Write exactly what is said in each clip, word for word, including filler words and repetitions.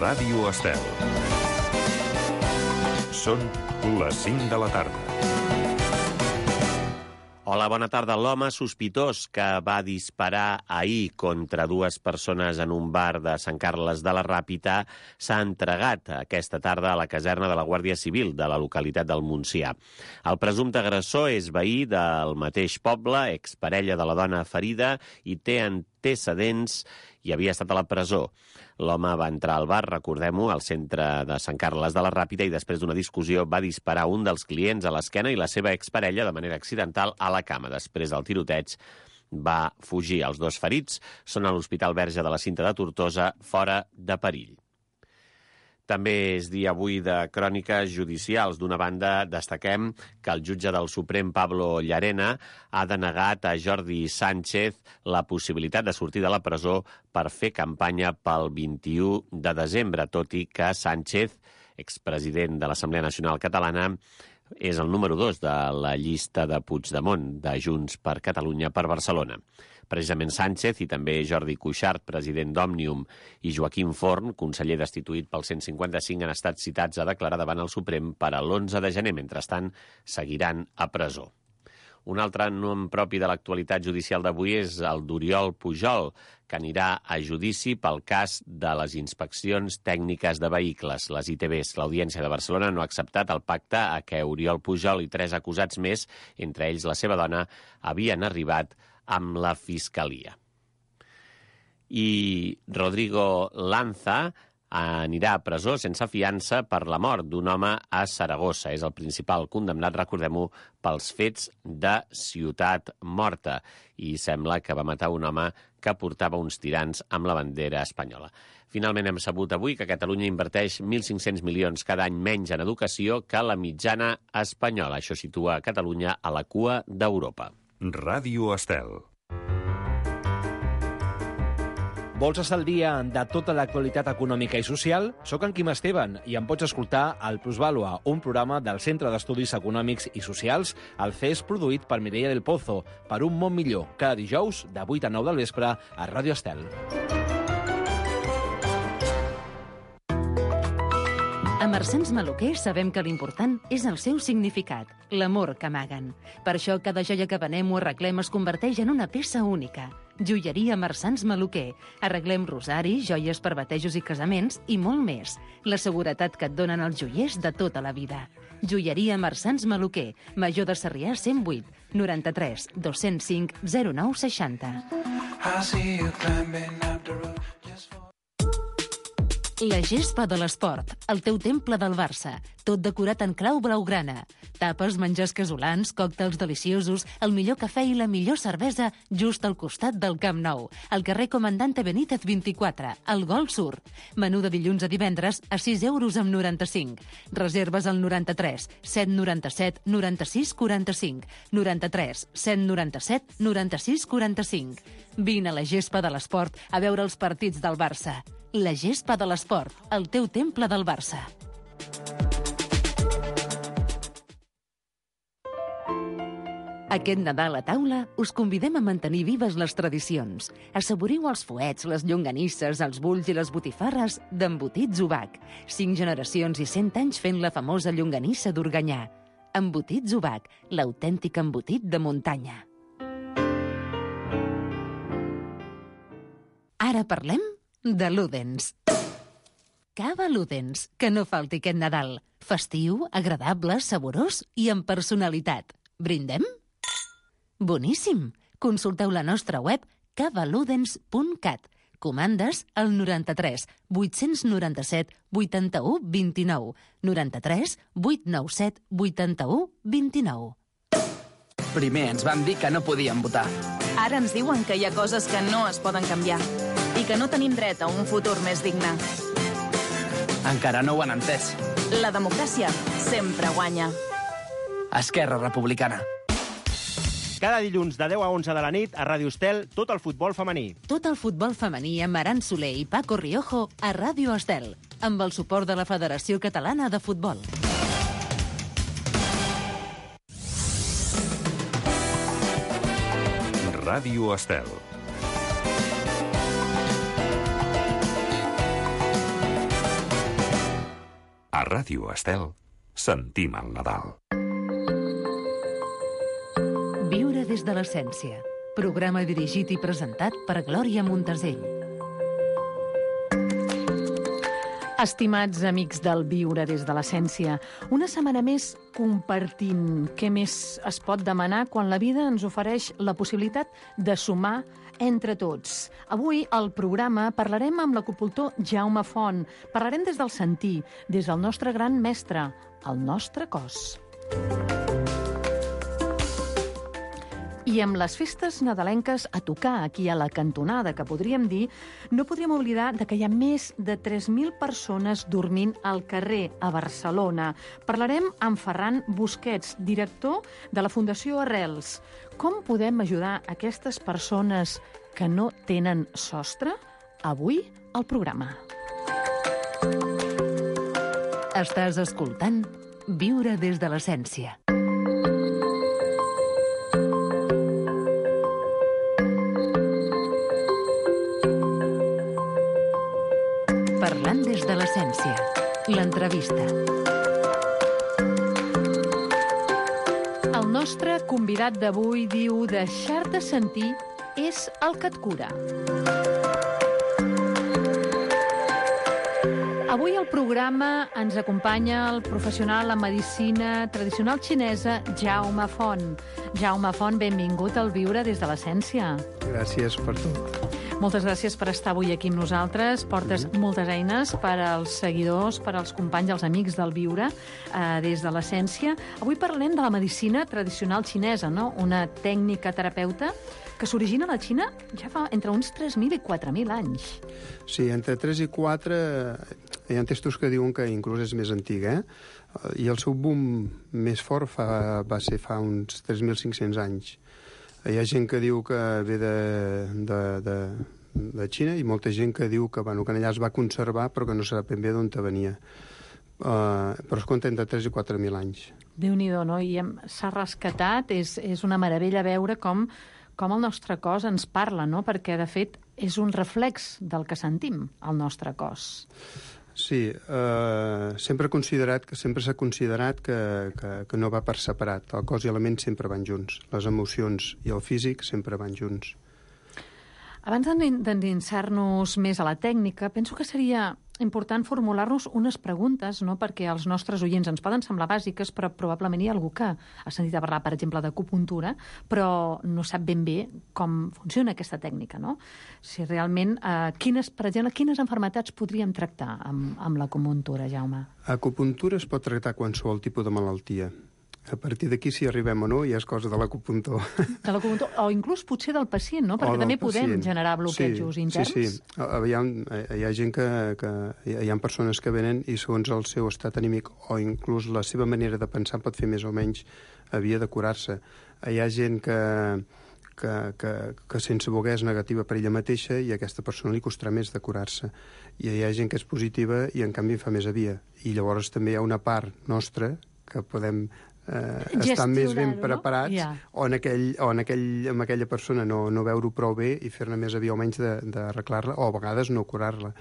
Ràdio Estel. Són les cinc de la tarda. Hola, bona tarda. L'home sospitós que va disparar ahir contra dues persones en un bar de Sant Carles de la Ràpita s'ha entregat aquesta tarda a la caserna de la Guàrdia Civil de la localitat del Montsià. El presumpte agressor és veí del mateix poble, exparella de la dona ferida i té antecedents i havia estat a la presó. L'home va entrar al bar, recordem-ho, al centre de Sant Carles de la Ràpita i després d'una discussió va disparar un dels clients a l'esquena i la seva exparella de manera accidental a la cama. Després del tiroteig va fugir. Els dos ferits són a l'Hospital Verge de la Cinta de Tortosa, fora de perill. També és dia avui de cròniques judicials. D'una banda, destaquem que el jutge del Suprem, Pablo Llarena, ha denegat a Jordi Sánchez la possibilitat de sortir de la presó per fer campanya pel vint-i-u de desembre, tot i que Sánchez, expresident de l'Assemblea Nacional Catalana, és el número dos de la llista de Puigdemont, de Junts per Catalunya per Barcelona. Precisament Sánchez i també Jordi Cuixart, president d'Òmnium, i Joaquim Forn, conseller destituït pel cent cinquanta-cinc, han estat citats a declarar davant el Suprem per a l'onze de gener. Mentrestant, seguiran a presó. Un altre nom propi de l'actualitat judicial d'avui és el d'Oriol Pujol, que anirà a judici pel cas de les inspeccions tècniques de vehicles, les I T Bs. L'Audiència de Barcelona no ha acceptat el pacte a què Oriol Pujol i tres acusats més, entre ells la seva dona, havien arribat amb la Fiscalia. I Rodrigo Lanza anirà a presó sense fiança per la mort d'un home a Saragossa. És el principal condemnat, recordem-ho, pels fets de Ciutat Morta. I sembla que va matar un home que portava uns tirants amb la bandera espanyola. Finalment hem sabut avui que Catalunya inverteix mil cinc-cents milions cada any menys en educació que la mitjana espanyola. Això situa Catalunya a la cua d'Europa. Ràdio Estel. Vols estar al dia de tota l'actualitat econòmica i social? Soc en Quim Esteban i em pots escoltar al Plusvàlua, un programa del Centre d'Estudis Econòmics i Socials, el C E S produït per Mireia del Pozo, per un món millor, cada dijous de vuit a nou del vespre a Ràdio Estel. A Marsans Maluquer sabem que l'important és el seu significat, l'amor que amaguen. Per això cada joia que venem o arreglem es converteix en una peça única. Joieria Marsans Maluquer. Arreglem rosaris, joies per batejos i casaments i molt més. La seguretat que et donen els joiers de tota la vida. Joieria Marsans Maluquer. Major de Sarrià cent vuit, noranta-tres, dos-cents cinc, zero nou seixanta. La gespa de l'esport, el teu temple del Barça, tot decorat en clau blaugrana. Tapes, menjars casolans, còctels deliciosos, el millor cafè i la millor cervesa just al costat del Camp Nou, al carrer Comandante Benítez vint-i-quatre, al Gol Sur. Menú de dilluns a divendres a sis euros amb noranta-cinc. Reserves al noranta-tres, set noranta-set, noranta-sis, quaranta-cinc, noranta-tres, set noranta-set, noranta-sis, quaranta-cinc. Vine a la gespa de l'esport a veure els partits del Barça. La gespa de l'esport, el teu temple del Barça. Aquest Nadal a taula us convidem a mantenir vives les tradicions. Assaboriu els fuets, les llonganisses, els bulls i les botifarres d'Embotits Ubac. Cinc generacions i cent anys fent la famosa llonganissa d'Organyà. Embotits Ubac, l'autèntic embotit de muntanya. Ara parlem de Ludens. Cava Ludens, que no falti aquest Nadal. Festiu, agradable, saborós i amb personalitat. Brindem? Boníssim! Consulteu la nostra web cava ludens punt cat. Comandes al noranta-tres, vuit-cents noranta-set, vuitanta-u, vint-i-nou. noranta-tres, vuit nou set, vuitanta-u, vint-i-nou. Primer ens van dir que no podíem votar. Ara ens diuen que hi ha coses que no es poden canviar i que no tenim dret a un futur més digne. Encara no ho han entès. La democràcia sempre guanya. Esquerra Republicana. Cada dilluns de deu a onze de la nit a Ràdio Estel, tot el futbol femení. Tot el futbol femení amb Aran Soler i Paco Riojo a Ràdio Estel, amb el suport de la Federació Catalana de Futbol. Ràdio Estel. A Ràdio Estel sentim el Nadal. Viure des de l'essència. Programa dirigit i presentat per Glòria Montesell. Estimats amics del Viure des de l'essència, una setmana més compartint què més es pot demanar quan la vida ens ofereix la possibilitat de sumar entre tots. Avui al programa parlarem amb l'acupuntor Jaume Font. Parlarem des del sentir, des del nostre gran mestre, el nostre cos. I amb les festes nadalenques a tocar aquí a la cantonada, que podríem dir, no podríem oblidar de que hi ha més de tres mil persones dormint al carrer a Barcelona. Parlarem amb Ferran Busquets, director de la Fundació Arrels. Com podem ajudar aquestes persones que no tenen sostre? Avui al programa. Estàs escoltant Viure des de l'essència. Parlant des de l'essència. L'entrevista. El nostre convidat d'avui diu: deixar-te sentir és el que et cura. Avui al programa ens acompanya el professional en medicina tradicional xinesa Jaume Font. Jaume Font, benvingut al Viure des de l'essència. Gràcies per tot. Moltes gràcies per estar avui aquí amb nosaltres. Portes mm. moltes eines per als seguidors, per als companys, els amics del Viure eh, des de l'essència. Avui parlem de la medicina tradicional xinesa, no? Una tècnica terapeuta que s'origina a la Xina ja fa entre uns tres mil i quatre mil anys. Sí, entre tres i quatre hi ha textos que diuen que inclús és més antiga, eh? I el seu boom més fort fa, va ser fa uns tres mil cinc-cents anys. Hi ha gent que diu que ve de, de, de, de Xina i molta gent que diu que, bueno, que allà es va conservar però que no sap ben bé d'on venia. Uh, però es compta entre tres i quatre mil anys. Déu-n'hi-do, no? I s'ha rescatat, és, és una meravella veure com, com el nostre cos ens parla, no? Perquè, de fet, és un reflex del que sentim, el nostre cos. Sí, eh, sempre considerat que sempre s'ha considerat que, que, que no va per separat. El cos i la ment sempre van junts. Les emocions i el físic sempre van junts. Abans d'endinsar-nos més a la tècnica, penso que seria important formular-nos unes preguntes, no? Perquè els nostres oients ens poden semblar bàsiques, però probablement hi ha algú que ha sentit a parlar, per exemple, d'acupuntura, però no sap ben bé com funciona aquesta tècnica, no? Si realment, eh, quines, per exemple, quines malalties podríem tractar amb, amb l'acupuntura, Jaume? Acupuntura es pot tractar qualsevol tipus de malaltia. A partir d'aquí, si arribem o no, ja és cosa de l'acupuntor. De l'acupuntor, o inclús potser del pacient, no? Perquè també podem pacient. generar bloquejos sí, interns. Sí, sí. Hi ha, hi ha gent que, que... Hi ha persones que venen i segons el seu estat anímic o inclús la seva manera de pensar pot fer més o menys havia de curar-se. Hi ha gent que, que, que, que sense voler és negativa per ella mateixa i a aquesta persona li costarà més de curar-se. I hi ha gent que és positiva i en canvi fa més havia. I llavors també hi ha una part nostra que podem... Eh, estar més ben preparats, no? Yeah. o, en aquell, o en aquell, amb aquella persona no, no veure-ho prou bé i fer-ne més aviat o menys d'arreglar-la, o a vegades no curar-la.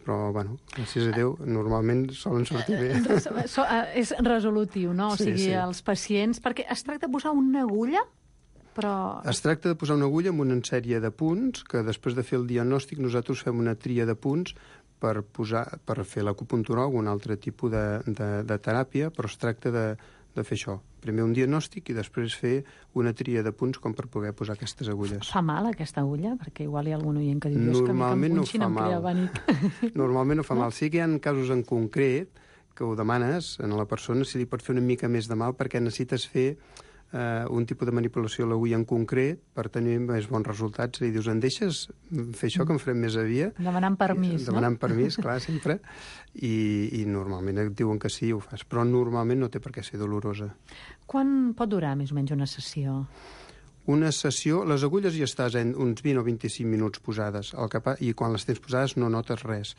Però, bueno, gràcies a Déu, normalment solen sortir bé. So, uh, és resolutiu, no? O sí, sigui, sí. Els pacients... Perquè es tracta de posar una agulla, però... Es tracta de posar una agulla amb una sèrie de punts, que després de fer el diagnòstic nosaltres fem una tria de punts per, posar, per fer l'acupuntura o un altre tipus de, de, de teràpia, però es tracta de de fer això. Primer un diagnòstic i després fer una tria de punts com per poder posar aquestes agulles. Fa mal aquesta agulla? Perquè igual hi ha algun oient que diu que em punxin, em crea pànic. Normalment no fa mal. Sí que hi ha casos en concret que ho demanes a la persona si li pot fer una mica més de mal perquè necessites fer eh, un tipus de manipulació a l'agulla en concret per tenir més bons resultats. I dius, em deixes fer això que em farem més avia? Demanant permís, no? Demanant permís, clar, sempre. I, i normalment et diuen que sí, ho fas. Però normalment no té per què ser dolorosa. Quan pot durar més o menys una sessió? Una sessió, les agulles ja estàs en uns vint o vint-i-cinc minuts posades, el que pa... i quan les tens posades no notes res.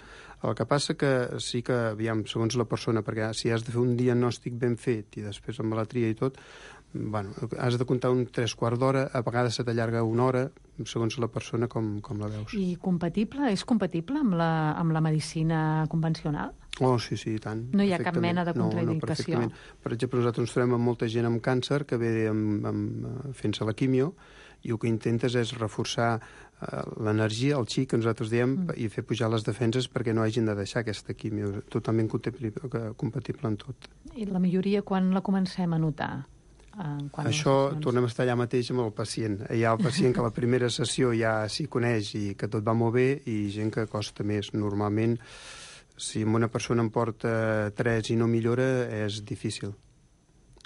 El que passa que sí que, aviam, segons la persona, perquè si has de fer un diagnòstic ben fet i després amb la tria i tot, bueno, has de comptar un tres quarts d'hora, a vegades se t'allarga una hora, segons la persona com, com la veus. I compatible? És compatible amb la, amb la medicina convencional? Oh, sí, sí, i tant. No hi ha cap perfectament. mena de No, no, contraindicació. perfectament. Per exemple, nosaltres ens trobem amb molta gent amb càncer que ve amb, amb, fent-se la quimio i el que intentes és reforçar eh, l'energia, el chi, que nosaltres diem, mm. i fer pujar les defenses perquè no hagin de deixar aquesta quimio. Totalment compatible, compatible en tot. I la majoria, quan la comencem a notar? En quant Això tornem a estar allà mateix amb el pacient. Hi ha el pacient que a la primera sessió ja s'hi coneix i que tot va molt bé, i gent que costa més. Normalment, si una persona en porta tres i no millora, és difícil.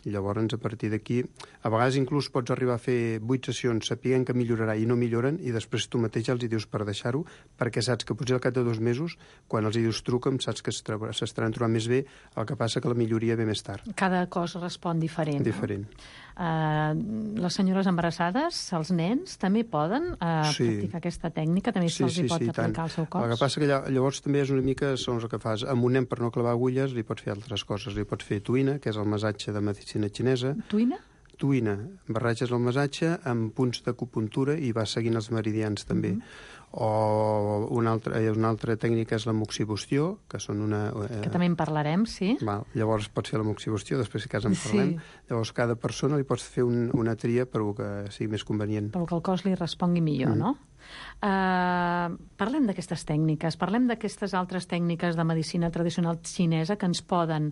I llavors, a partir d'aquí, a vegades inclús pots arribar a fer vuit sessions sapient que millorarà i no milloren, i després tu mateix els hi dius per deixar-ho, perquè saps que potser al cap de dos mesos, quan els hi dius truca'm, saps que s'estaran trobant més bé, el que passa que la milloria ve més tard. Cada cos respon diferent. Diferent. No? Uh, les senyores embarassades, els nens, també poden uh, sí. practicar aquesta tècnica? També sí, se'ls sí, hi pot sí, aplicar tant. al seu cos? El que passa que llavors també és una mica, segons el que fas, amb un nen per no clavar agulles li pots fer altres coses. Li pots fer tuina, que és el massatge de medicina xinesa. Tuina? Tuina. Barratges el massatge amb punts d'acupuntura i vas seguint els meridians també. Mm-hmm. O una altra, una altra tècnica és la moxibustió, que són una... Eh, que també en parlarem, sí. Val, llavors pots fer la moxibustió, després si cas en parlem. Sí. Llavors cada persona li pots fer un, una tria per que sigui més convenient. Per que el cos li respongui millor, mm. no? Uh, parlem d'aquestes tècniques, parlem d'aquestes altres tècniques de medicina tradicional xinesa que ens poden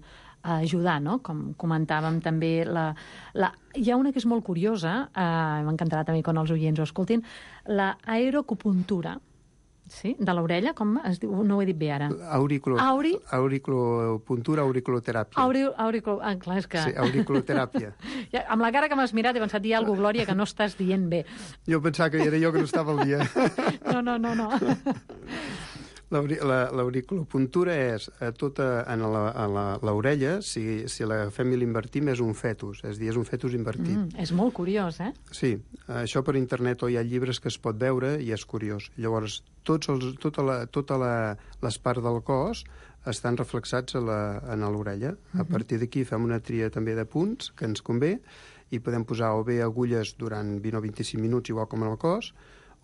ajudar, no? Com comentàvem també, la, la... hi ha una que és molt curiosa, uh, m'encantarà també quan els oients ho escoltin, la aeroacupuntura, sí? De l'orella, com es diu? No ho he dit bé ara. Auriculo, Auri... Auriculopuntura, auriculoteràpia. Auri... Auriculo... Ah, clar, és que... Sí, auriculoteràpia. Ja, amb la cara que m'has mirat he pensat dir alguna cosa, Glòria, que no estàs dient bé. Jo pensava que era jo que no estava al dia. No, no, no, no. L'auriculopuntura és a tota en l'orella, si, si l'agafem i l'invertim, és un fetus, és a dir, és un fetus invertit. Mm, és molt curiós, eh? Sí, això per internet o hi ha llibres que es pot veure i és curiós. Llavors, tots els, tota, la, tota la, les parts del cos estan reflexats a la, en l'orella. Mm-hmm. A partir d'aquí fem una tria també de punts que ens convé i podem posar o bé agulles durant vint o vint-i-cinc minuts, igual com en el cos,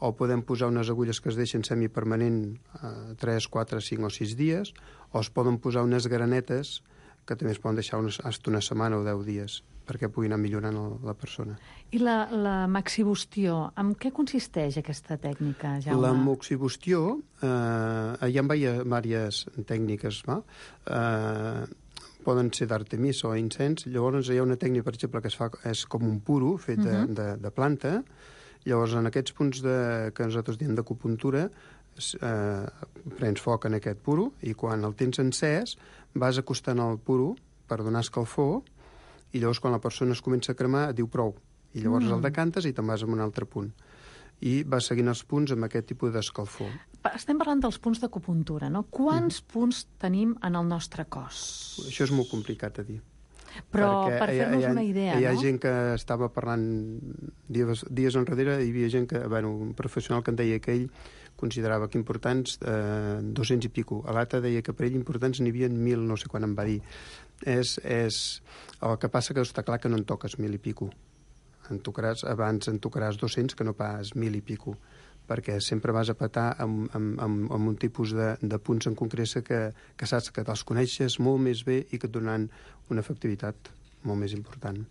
o podem posar unes agulles que es deixen semipermanent eh, tres, quatre, cinc o sis dies, o es poden posar unes granetes que també es poden deixar unes, hasta una setmana o deu dies perquè pugui anar millorant el, la persona. I la, la moxibustió, en què consisteix aquesta tècnica, Jaume? La moxibustió, eh, hi ha diverses tècniques, va? Eh, poden ser d'artemis o incens. Llavors hi ha una tècnica, per exemple, que es fa, és com un puro fet de, uh-huh. de, de planta. Llavors, en aquests punts de, que nosaltres diem d'acupuntura, eh, prens foc en aquest puro i quan el tens encès vas acostant el puro per donar escalfor i llavors quan la persona es comença a cremar diu prou. I llavors mm. el decantes i te'n vas a un altre punt. I vas seguint els punts amb aquest tipus d'escalfor. Estem parlant dels punts d'acupuntura, no? Quants mm. punts tenim en el nostre cos? Això és molt complicat a dir. Però perquè per fer-nos una idea, hi ha, hi ha no? gent que estava parlant dies, dies enrere, hi havia gent que, bueno, un professional que em deia que ell considerava que importants eh, dos-cents i pico. A l'altre deia que per ell importants n'hi havia mil, no sé quan em va dir. És, és... El que passa que està clar que no en toques mil i pico. En tocaràs, abans en tocaràs dos-cents que no pas mil i pico, perquè sempre vas a petar amb, amb, amb, amb un tipus de, de punts en concret que, que saps que te'ls coneixes molt més bé i que et donaran una efectivitat molt més important.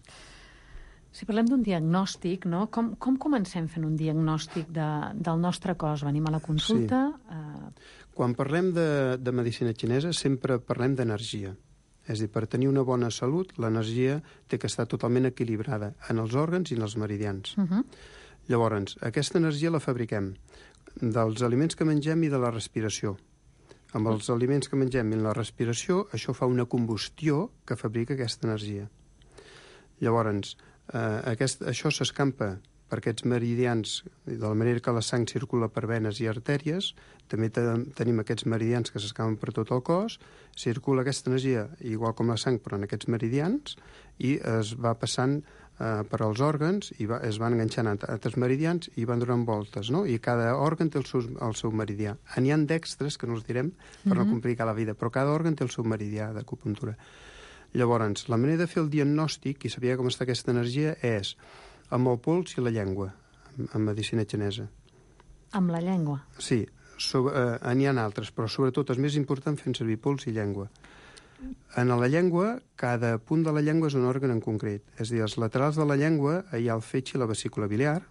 Si parlem d'un diagnòstic, no? com, com comencem fent un diagnòstic de, del nostre cos? Venim a la consulta? Sí. Eh... Quan parlem de, de medicina xinesa sempre parlem d'energia. És a dir, per tenir una bona salut, l'energia té que estar totalment equilibrada en els òrgans i en els meridians. Uh-huh. Llavors, aquesta energia la fabriquem dels aliments que mengem i de la respiració. Amb els aliments que mengem i la respiració, això fa una combustió que fabrica aquesta energia. Llavors, eh, aquest, això s'escampa per aquests meridians, de la manera que la sang circula per venes i artèries, també te, tenim aquests meridians que s'escampen per tot el cos, circula aquesta energia, igual com la sang, però en aquests meridians, i es va passant eh, per als òrgans, i va, es van enganxant a altres meridians i van donant voltes, no? I cada òrgan té el seu, el seu meridià. N'hi ha dextres, que no els direm, per mm-hmm. no complicar la vida, però cada òrgan té el seu meridià d'acupuntura. Llavors, la manera de fer el diagnòstic i saber com està aquesta energia és amb el pols i la llengua, en medicina xinesa. Amb la llengua? Sí. sobre, eh, n'hi ha altres, però sobretot els més importants fent servir pols i llengua. En la llengua, cada punt de la llengua és un òrgan en concret. És a dir, als laterals de la llengua hi ha el fetge i la vesícula biliar.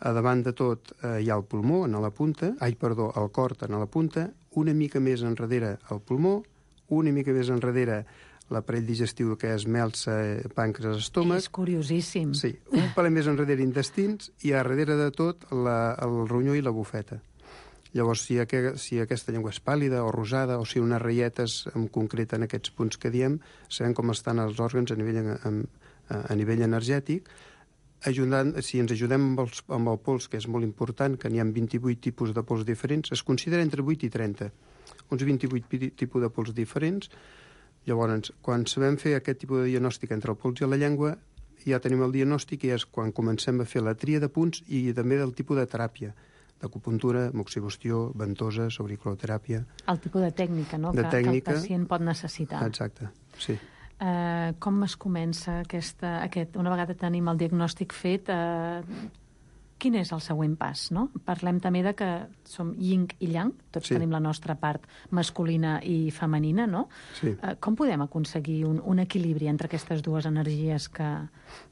A davant de tot eh, hi ha el pulmó, en la punta, ai, perdó, el cor en la punta, una mica més enrere el pulmó, una mica més enrere l'aparell digestiu, que és melsa, pàncreas, estómac. És curiosíssim. Sí, un pel més enrere intestins i a darrere de tot la, el ronyó i la bufeta. Llavors, si, aqu si aquesta llengua és pàl·lida o rosada, o si unes ratlletes en concret en aquests punts que diem, sabem com estan els òrgans a nivell, a, a, a nivell energètic. Ajudant, si ens ajudem amb, els, amb el pols, que és molt important, que n'hi ha vint-i-vuit tipus de pols diferents, es considera entre vuit i trenta. Uns vint-i-vuit tipus de pols diferents. Llavors, quan sabem fer aquest tipus de diagnòstic entre el pols i la llengua, ja tenim el diagnòstic i és quan comencem a fer la tria de punts i també del tipus de teràpia, d'acupuntura, moxibustió, ventosa, auriculoteràpia. El tipus de tècnica, no? De que, tècnica, que el pacient pot necessitar. Exacte, sí. Uh, com es comença aquesta, aquest, una vegada tenim el diagnòstic fet, uh, quin és el següent pas, no? Parlem també de que som yin i yang, tots sí. tenim la nostra part masculina i femenina, no? Sí. Uh, com podem aconseguir un, un equilibri entre aquestes dues energies que,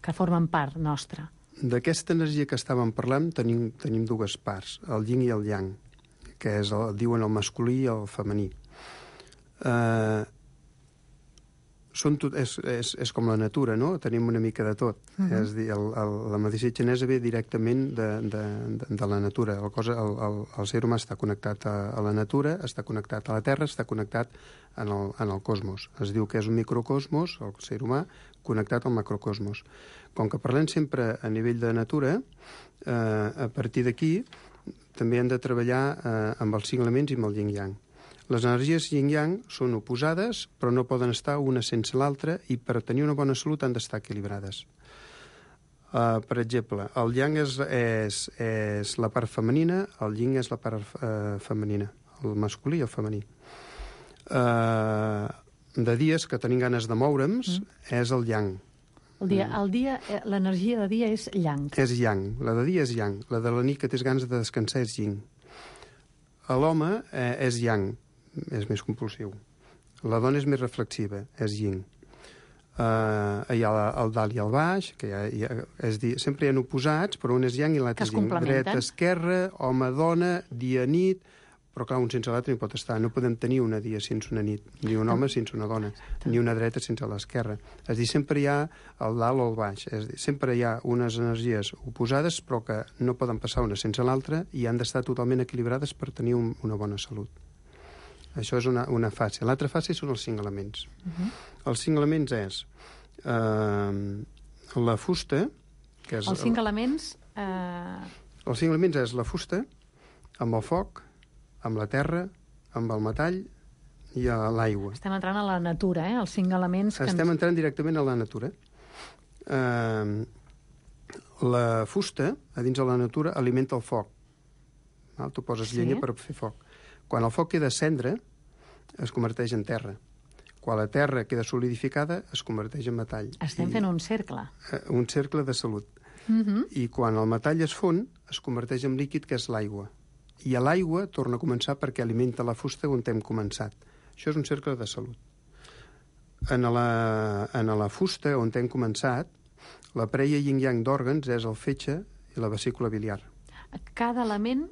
que formen part nostra? D'aquesta energia que estàvem parlant tenim, tenim dues parts, el yin i el yang, que és el, diuen el masculí i el femení. Uh, són tot, és, és, és com la natura, no? Tenim una mica de tot. Uh -huh. És dir, el, el, la medicina xinesa ve directament de, de, de, de la natura. El, cosa, el, el, el ser humà està connectat a, a la natura, està connectat a la Terra, està connectat en el, en el cosmos. Es diu que és un microcosmos, el ser humà, connectat al macrocosmos. Com que parlem sempre a nivell de natura, eh, a partir d'aquí també hem de treballar eh, amb els cinc elements i amb el yin-yang. Les energies yin-yang són oposades, però no poden estar una sense l'altra i per tenir una bona salut han d'estar equilibrades. Uh, per exemple, el yang és, és, és la part femenina, el yin és la part uh, femenina, el masculí i el femení. Uh, de dies que tenim ganes de moure'ns, mm. és el yang. El dia, el dia, l'energia de dia és yang. És yang. La de dia és yang. La de la nit que tens ganes de descansar és yin. A l'home eh, és yang, és més compulsiu. La dona és més reflexiva, és yin. Uh, hi ha el dalt i el baix, que hi ha, hi ha, és dir, sempre hi ha oposats, però un és yang i l'altre és yin. Dreta, esquerra, home, dona, dia, nit, però clar, un sense l'altre no pot estar. No podem tenir una dia sense una nit, ni un home sense una dona, ni una dreta sense l'esquerra. És dir, sempre hi ha el dalt o el baix. És dir, sempre hi ha unes energies oposades, però que no poden passar una sense l'altra i han d'estar totalment equilibrades per tenir un, una bona salut. Això és una, una fase. L'altra fase són els cinc elements. Uh-huh. Els cinc elements és eh, la fusta, que és... Els cinc elements... Eh... Els cinc elements és la fusta, amb el foc, amb la terra, amb el metall i a l'aigua. Estem entrant a la natura, eh? Els cinc elements... Que Estem ens... entrant directament a la natura. Uh, la fusta, a dins de la natura, alimenta el foc. Val? Tu poses sí. llenya per fer foc. Quan el foc queda cendra, es converteix en terra. Quan la terra queda solidificada, es converteix en metall. Estem I, fent un cercle. Uh, un cercle de salut. Uh-huh. I quan el metall es fon, es converteix en líquid, que és l'aigua. I a l'aigua torna a començar perquè alimenta la fusta on hem començat. Això és un cercle de salut. En la, en la fusta on hem començat, la preia yin-yang d'òrgans és el fetge i la vesícula biliar. Cada element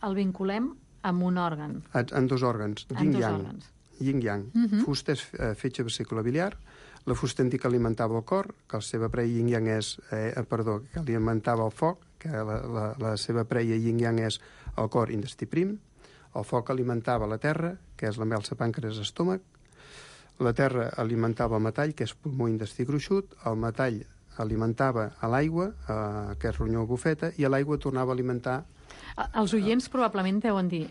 el vinculem amb un òrgan. En dos òrgans, yin-yang. Yin-yang. Uh -huh. Fusta és eh, fetge, vesícula biliar. La fusta en que alimentava el cor, que la seva preia yin-yang és... Eh, perdó, que alimentava el foc, que la, la, la seva preia yin-yang és el cor, intestí prim. El foc alimentava la terra, que és la melsa, pàncreas, estómac. La terra alimentava el metall, que és pulmó, intestí gruixut. El metall alimentava a l'aigua, eh, que és ronyó, bufeta, i a l'aigua tornava a alimentar... Els oients probablement deuen dir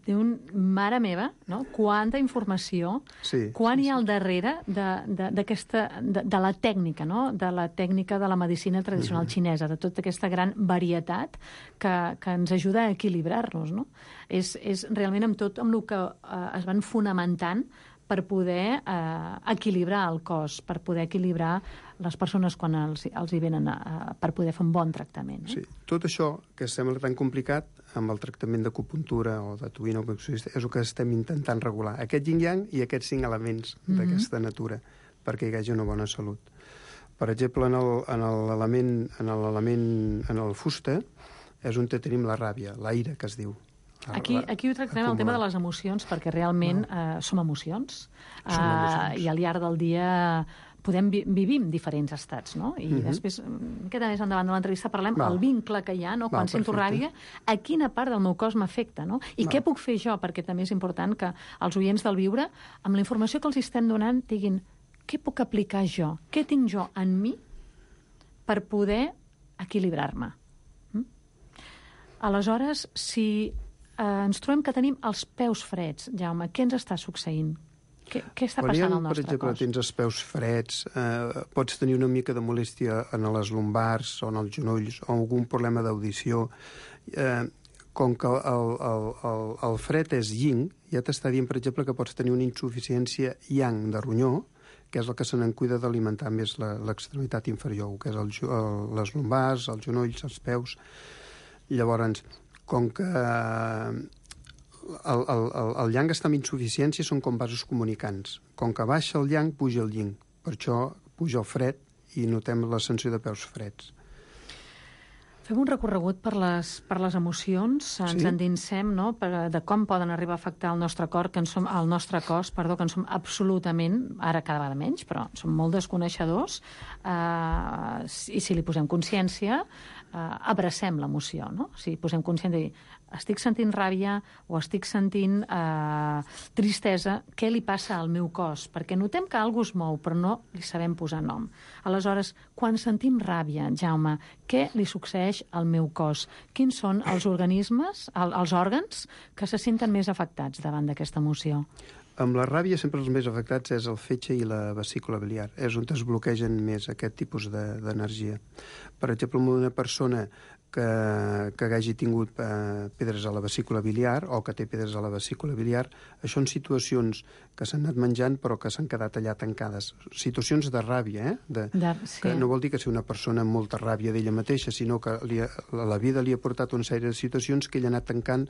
diuen, mare meva, no? Quanta informació, sí, quan sí, hi ha al sí. darrere d'aquesta, de, de, de la tècnica, no? De la tècnica de la medicina tradicional uh-huh. xinesa, de tota aquesta gran varietat que, que ens ajuda a equilibrar-nos, no? És, és realment amb tot amb el que eh, es van fonamentant per poder eh, equilibrar el cos, per poder equilibrar les persones quan els, els hi venen a, per poder fer un bon tractament. Eh? Sí, tot això que sembla tan complicat amb el tractament d'acupuntura o de tuïna o és el que estem intentant regular. Aquest yin-yang i aquests cinc elements mm-hmm. d'aquesta natura perquè hi hagi una bona salut. Per exemple, en el, en l'element en l'element en el fusta és on tenim la ràbia, l'aire que es diu. Aquí, aquí ho tractarem el tema de les emocions, perquè realment no. eh, som emocions, som emocions. Eh, i al llarg del dia podem vi vivim diferents estats, no? I uh-huh. després, queda més endavant de l'entrevista, parlem del vincle que hi ha, no? Quan Val, sento ràbia, a quina part del meu cos m'afecta, no? I Val. Què puc fer jo? Perquè també és important que els oients del Viure, amb la informació que els estem donant, diguin què puc aplicar jo? Què tinc jo en mi per poder equilibrar-me? Mm? Aleshores, si eh, ens trobem que tenim els peus freds, Jaume, què ens està succeint? Què, què està passant al nostre per exemple, cos? Tens els peus freds, eh, pots tenir una mica de molèstia en les lumbars o en els genolls o algun problema d'audició. Eh, com que el, el, el, el fred és yin, ja t'està dient, per exemple, que pots tenir una insuficiència yang de ronyó, que és el que se n'en cuida d'alimentar més l'extremitat inferior, que és el, el, les lumbars, els genolls, els peus. Llavors, com que El, el, el, el yang està amb insuficiència, són com vasos comunicants. Com que baixa el yang, puja el yin. Per això puja el fred i notem la sensació de peus freds. Fem un recorregut per les, per les emocions, ens sí? endinsem, no?, per, de com poden arribar a afectar el nostre cor, que en som, el nostre cos, perdó, que en som absolutament, ara cada vegada menys, però som molt desconeixedors, eh, i si li posem consciència, eh, abracem l'emoció, no? Si posem consciència de dir, estic sentint ràbia o estic sentint eh, tristesa, què li passa al meu cos? Perquè notem que alguna cosa es mou, però no li sabem posar nom. Aleshores, quan sentim ràbia, Jaume, què li succeeix al meu cos? Quins són els organismes, el, els òrgans, que se senten més afectats davant d'aquesta emoció? Amb la ràbia sempre els més afectats és el fetge i la vesícula biliar. És on es bloquegen més aquest tipus d'energia. De, per exemple, una persona que, que hagi tingut eh, pedres a la vesícula biliar o que té pedres a la vesícula biliar, això són situacions que s'han anat menjant però que s'han quedat allà tancades. Situacions de ràbia, eh? De, de, sí. Que no vol dir que sigui una persona amb molta ràbia d'ella mateixa, sinó que li ha, la vida li ha portat una sèrie de situacions que ella ha anat tancant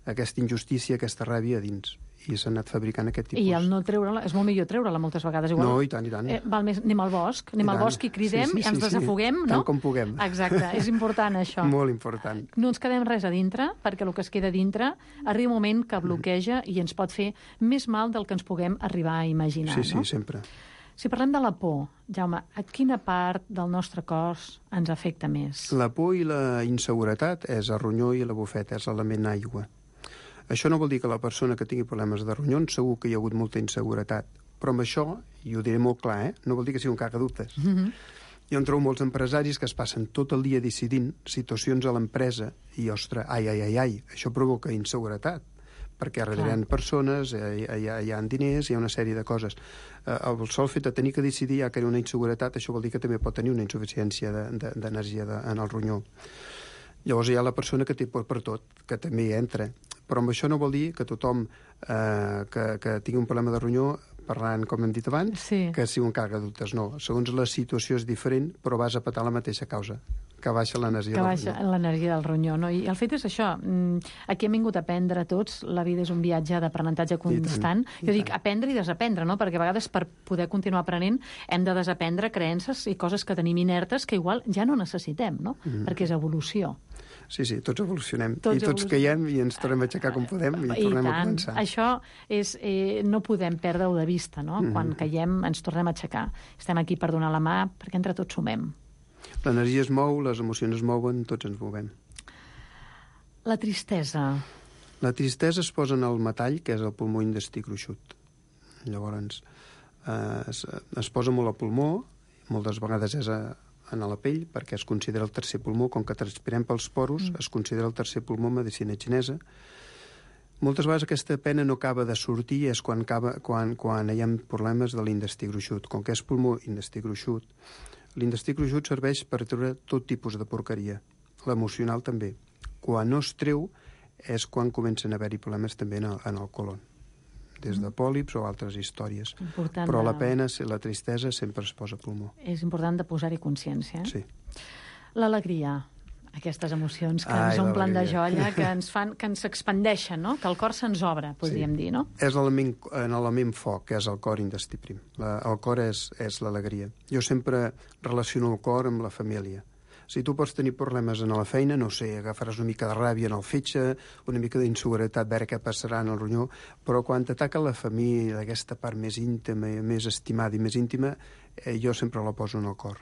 aquesta injustícia, aquesta ràbia a dins. I s'ha anat fabricant aquest tipus. I el no treure-la, és molt millor treure-la moltes vegades. Igual, no, i tant, i tant. Eh, val més, anem al bosc, anem al bosc i cridem, sí, sí, sí, i ens desafoguem, sí, no? Tant com puguem. Exacte, és important això. Molt important. No ens quedem res a dintre, perquè el que es queda a dintre arriba un moment que bloqueja i ens pot fer més mal del que ens puguem arribar a imaginar. Sí, sí, no? sempre. Si parlem de la por, Jaume, a quina part del nostre cos ens afecta més? La por i la inseguretat és el ronyó i la bufeta, és l'element aigua. Això no vol dir que la persona que tingui problemes de ronyons segur que hi ha hagut molta inseguretat. Però amb això, i ho diré molt clar, eh, no vol dir que sigui un cagadubtes. Mm-hmm. Jo em trobo molts empresaris que es passen tot el dia decidint situacions a l'empresa i, ostres, ai, ai, ai, ai, això provoca inseguretat, perquè darrere hi ha persones, hi ha, hi ha diners, hi ha una sèrie de coses. Eh, el sol fet de tenir que decidir ja que hi ha una inseguretat, això vol dir que també pot tenir una insuficiència d'energia de, de, en el ronyó. Llavors hi ha la persona que té por per tot, que també hi entra. Però amb això no vol dir que tothom eh, que, que tingui un problema de ronyó, parlant, com hem dit abans, sí. que sigui un cagadubtes. No, segons la situació és diferent, però vas a petar la mateixa causa, que baixa l'energia del ronyó. Que baixa l'energia del ronyó, no? I el fet és això, aquí hem vingut a aprendre tots, la vida és un viatge d'aprenentatge constant. I tant, jo dic aprendre i desaprendre, no? Perquè a vegades per poder continuar aprenent hem de desaprendre creences i coses que tenim inertes que igual ja no necessitem, no? Mm. Perquè és evolució. Sí, sí, tots evolucionem. Tots I tots evolucionem. Caiem i ens tornem a aixecar com podem i, I tornem tant. a començar. Això és, eh, no podem perdre-ho de vista, no? Mm. Quan caiem ens tornem a aixecar. Estem aquí per donar la mà perquè entre tots sumem. L'energia es mou, les emocions es mouen, tots ens movem. La tristesa. La tristesa es posa en el metall, que és el pulmó intestí gruixut. Llavors, eh, es, es posa molt al pulmó, moltes vegades és a en la pell, perquè es considera el tercer pulmó, com que transpirem pels poros, mm. es considera el tercer pulmó medicina xinesa. Moltes vegades aquesta pena no acaba de sortir, és quan, acaba, quan, quan hi ha problemes de l'intestí gruixut. Com que és pulmó intestí gruixut, l'intestí gruixut serveix per treure tot tipus de porqueria, l'emocional també. Quan no es treu és quan comencen a haver-hi problemes també en el, en el colon. des de pòlips o altres històries. Important Però de- la pena, la tristesa, sempre es posa a pulmó. És important de posar-hi consciència. Eh? Sí. L'alegria, aquestes emocions que Ai, ens omplen de l'alegria. joia, que ens fan, que ens expandeixen, no? Que el cor se'ns obre, podríem Sí. dir, no? És l'element, en l'element foc, que és el cor intestí prim. La, el cor és, és l'alegria. Jo sempre relaciono el cor amb la família. Si tu pots tenir problemes en la feina, no sé, agafaràs una mica de ràbia en el fetge, una mica d'inseguretat, veure què passarà en el ronyó, però quan t'ataca la família, aquesta part més íntima, més estimada i més íntima, eh, jo sempre la poso en el cor.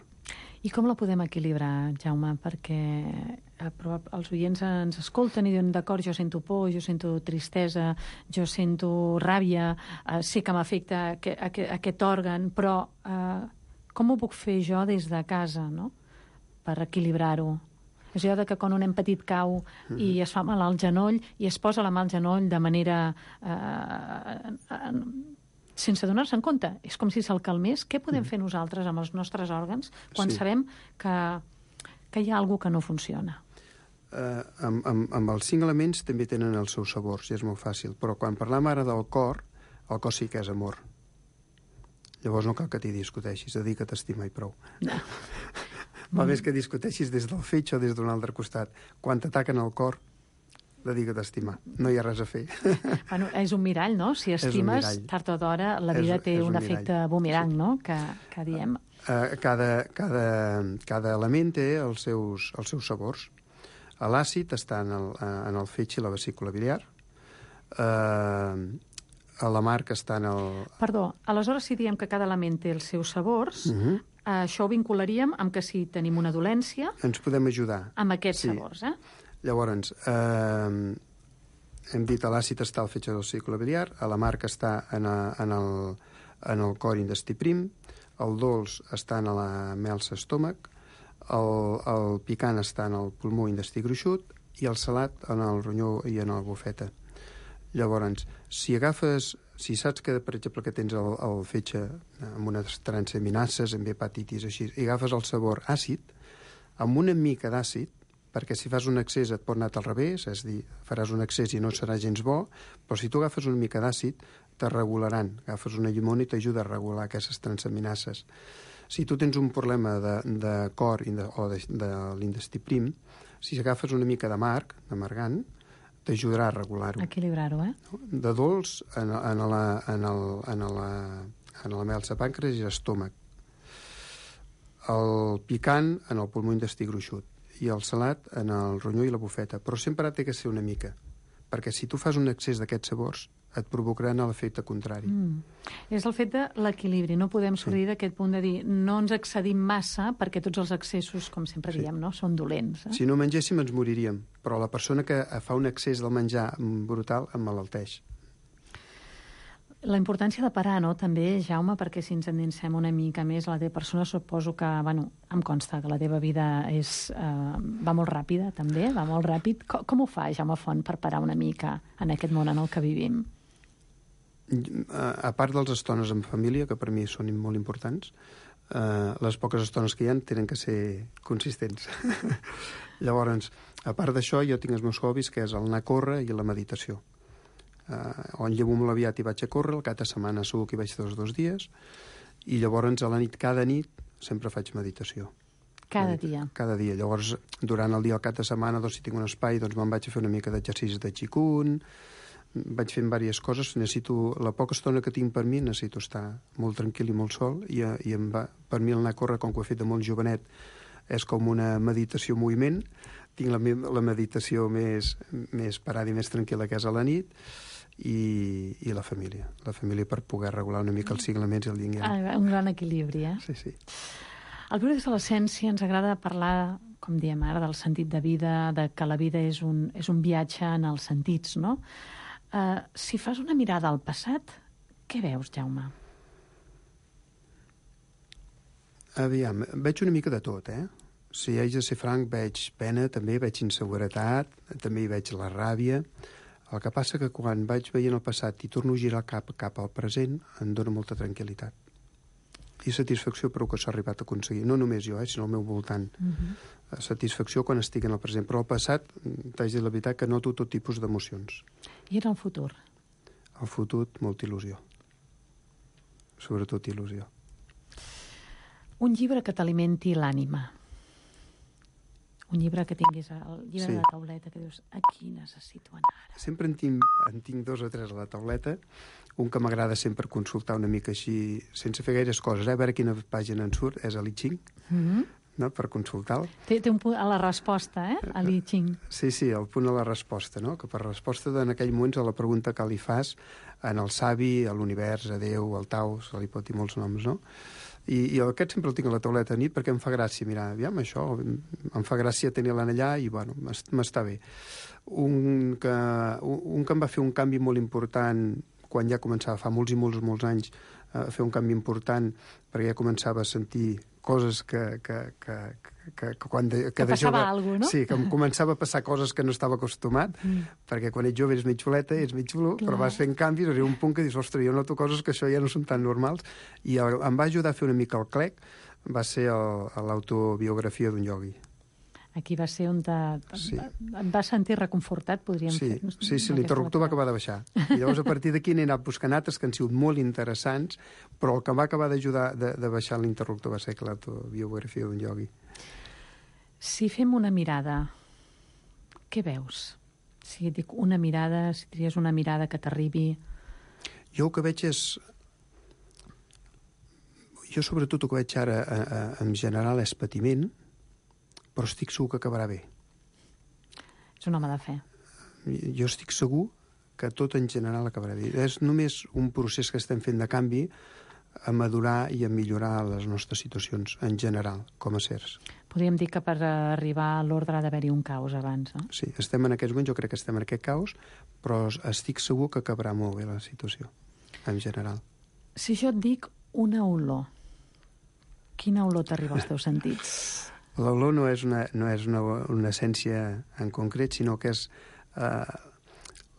I com la podem equilibrar, Jaume? Perquè eh, però els oients ens escolten i diuen, d'acord, jo sento por, jo sento tristesa, jo sento ràbia, eh, sé que m'afecta aquest, aquest, aquest òrgan, però eh, com ho puc fer jo des de casa, no?, per equilibrar-ho? És allò de que quan un nen petit cau i es fa mal al genoll i es posa la mà al genoll de manera... Eh, eh, sense donar-se en compte. És com si se'l calmés. Què podem fer nosaltres amb els nostres òrgans quan Sí. sabem que, que hi ha alguna que no funciona? Eh, amb, amb, amb els cinc elements també tenen els seus sabors, i és molt fàcil. Però quan parlam ara del cor, el cor sí que és amor. Llavors no cal que t'hi discuteixis, dedica't a estimar i prou. No. Va més que discuteixis des del fetge o des d'un altre costat. Quan t'ataquen el cor, dedica't a estimar. No hi ha res a fer. Bueno, és un mirall, no? Si un estimes, mirall. tard o d'hora, la És- vida té és un un efecte mirall. bumerang, no?, que, que diem. Eh, cada, cada, cada element té els seus, els seus sabors. L'àcid està en el, en el fetge i la vesícula biliar. Eh, l'amarg està en el... Perdó, aleshores si diem que cada element té els seus sabors, Uh -huh. això ho vincularíem amb que si tenim una dolència, Ens podem ajudar. amb aquests Sí. sabors, eh? Llavors, eh, hem dit que l'àcid està al fetge del vesícula biliar, l'amarg està en, a, en, el, en el cor intestí prim, el dolç està en la melsa estómac, el, el picant està en el pulmó intestí gruixut i el salat en el ronyó i en el bufeta. Llavors, si agafes, si saps que, per exemple, que tens el, el fetge amb unes transaminases, amb hepatitis, així, i agafes el sabor àcid, amb una mica d'àcid, perquè si fas un excés et pot anar al revés, és a dir, faràs un excés i no serà gens bo, però si tu agafes una mica d'àcid, te regularan. Agafes una llimona i t'ajuda a regular aquestes transaminases. Si tu tens un problema de, de cor i de, o de, de l'intestí prim, si agafes una mica d'amarg, d'amargant, t'ajudarà a regular-ho. Equilibrar-ho, eh? De dolç en, en, la, en, el, en, la, en la melsa pàncreas i l'estómac. El picant en el pulmó intestí gruixut i el salat en el ronyó i la bufeta. Però sempre té que ser una mica, perquè si tu fas un excés d'aquests sabors et provocaran l'efecte contrari. Mm. És el fet de l'equilibri. No podem sortir sí. d'aquest punt de dir no ens excedim massa perquè tots els excessos, com sempre Sí. diem, no? Són dolents. Eh? Si no mengéssim ens moriríem, però la persona que fa un excés del menjar brutal emmalalteix. La importància de parar, no?, també, Jaume, perquè si ens endinsem una mica més, la teva persona suposo que, bueno, em consta que la teva vida és, eh, va molt ràpida, també, va molt ràpid. Com, com ho fa, Jaume Font, per parar una mica en aquest món en el que vivim? A part dels estones en família, que per mi són molt importants, eh, les poques estones que hi ha tenen que ser consistents. Llavors, a part d'això, jo tinc els meus hobbies, que és el anar a córrer i la meditació. Uh, on llevo molt aviat i vaig a córrer, el cap de setmana segur que hi vaig dos dos dies, i llavors a la nit, cada nit, sempre faig meditació. Cada Medita- dia. Cada dia. Llavors, durant el dia, el cap de setmana, doncs, si tinc un espai, doncs me'n vaig a fer una mica d'exercicis de Qigong, vaig fent diverses coses, necessito, la poca estona que tinc per mi, necessito estar molt tranquil i molt sol, i, i em va, per mi el anar a córrer, com que ho he fet de molt jovenet, és com una meditació en moviment, tinc la, me- la meditació més, més parada i més tranquil·la, que és a la nit, i, i la família. La família per poder regular una mica els cinc elements i el yin-yang. Ah, un gran equilibri, eh? Sí, sí. Al Viure des de l'Essència ens agrada parlar, com diem ara, del sentit de vida, de que la vida és un, és un viatge en els sentits, no? Uh, si fas una mirada al passat, què veus, Jaume? Aviam, veig una mica de tot, eh? Si haig de ser franc, veig pena, també veig inseguretat, també hi veig la ràbia. El que passa que quan vaig veient el passat i torno a girar cap, cap al present, em dóna molta tranquil·litat. I satisfacció per el que s'ha arribat a aconseguir. No només jo, eh, sinó al meu voltant. Uh -huh. Satisfacció quan estic en el present. Però al passat, t'haig de dir la veritat, que noto tot tipus d'emocions. I en el futur? el futur, molta il·lusió. Sobretot il·lusió. Un llibre que t'alimenti l'ànima. Un llibre que tinguis, el llibre Sí. de la tauleta, que dius, aquí necessito anar ara. Sempre en tinc, en tinc dos o tres a la tauleta. Un que m'agrada sempre consultar una mica així, sense fer gaires coses, eh? A veure quina pàgina en surt, és el I Ching, Mm-hmm. no? Per consultar-lo. Té, té un punt a la resposta, eh? A l'I Ching. Sí, sí, el punt a la resposta, no? Que per resposta en aquell moment a la pregunta que li fas en el savi, a l'univers, a Déu, al Tao, se li pot dir molts noms, no? I, i aquest sempre el tinc a la tauleta a nit perquè em fa gràcia, mira, aviam, això, em fa gràcia tenir-la allà i, bueno, m'està bé. Un que, un, un que em va fer un canvi molt important quan ja començava, fa molts i molts, molts anys, a fer un canvi important perquè ja començava a sentir coses que, que, que, que, que quan de, que Que de passava jove, alguna cosa, no? Sí, que em començava a passar coses que no estava acostumat, mm. perquè quan ets jove ets mig xuleta, ets mig xulo, Clar. però vas fent canvis, arriba un punt que dius, ostres, jo noto coses que això ja no són tan normals, i el, em va ajudar a fer una mica el clec, va ser l'autobiografia d'un iogui. Aquí va ser on te, Sí. et vas sentir reconfortat, podríem Sí, fer. sí, sí, l'interruptor va acabar de baixar. I llavors, a partir d'aquí n'he anat buscant altres que han sigut molt interessants, però el que em va acabar d'ajudar de, de baixar l'interruptor va ser l'autobiografia d'un iogui. Si fem una mirada, què veus? Si et dic una mirada, si tries una mirada que t'arribi... Jo el que veig és... Jo sobretot el que veig ara a, a, en general és patiment, però estic segur que acabarà bé. És un home de fe. Jo estic segur que tot en general acabarà bé. És només un procés que estem fent de canvi a madurar i a millorar les nostres situacions en general, com a sers. Podríem dir que per arribar a l'ordre ha d'haver-hi un caos abans, no? Sí, estem en aquests moments, jo crec que estem en aquest caos, però estic segur que acabarà molt bé la situació, en general. Si jo et dic una olor, quina olor t'arriba als teus sentits? L'olor no és una, no és una, una essència en concret, sinó que és uh,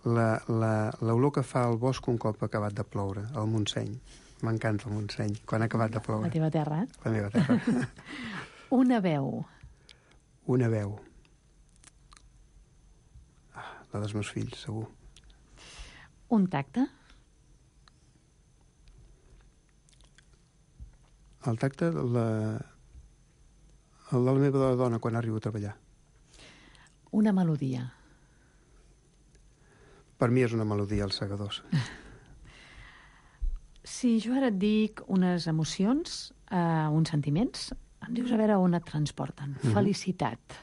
l'olor que fa el bosc un cop ha acabat de ploure, el Montseny. M'encanta el Montseny, quan ha acabat de ploure. La teva terra, eh? La meva terra. Una veu. Una veu. Ah, la dels meus fills, segur. Un tacte. El tacte, la... el de la meva dona quan arribo a treballar. Una melodia. Per mi és una melodia, els segadors. Si jo ara et dic unes emocions, eh, uns sentiments, em dius a veure on et transporten. Mhm. Felicitat.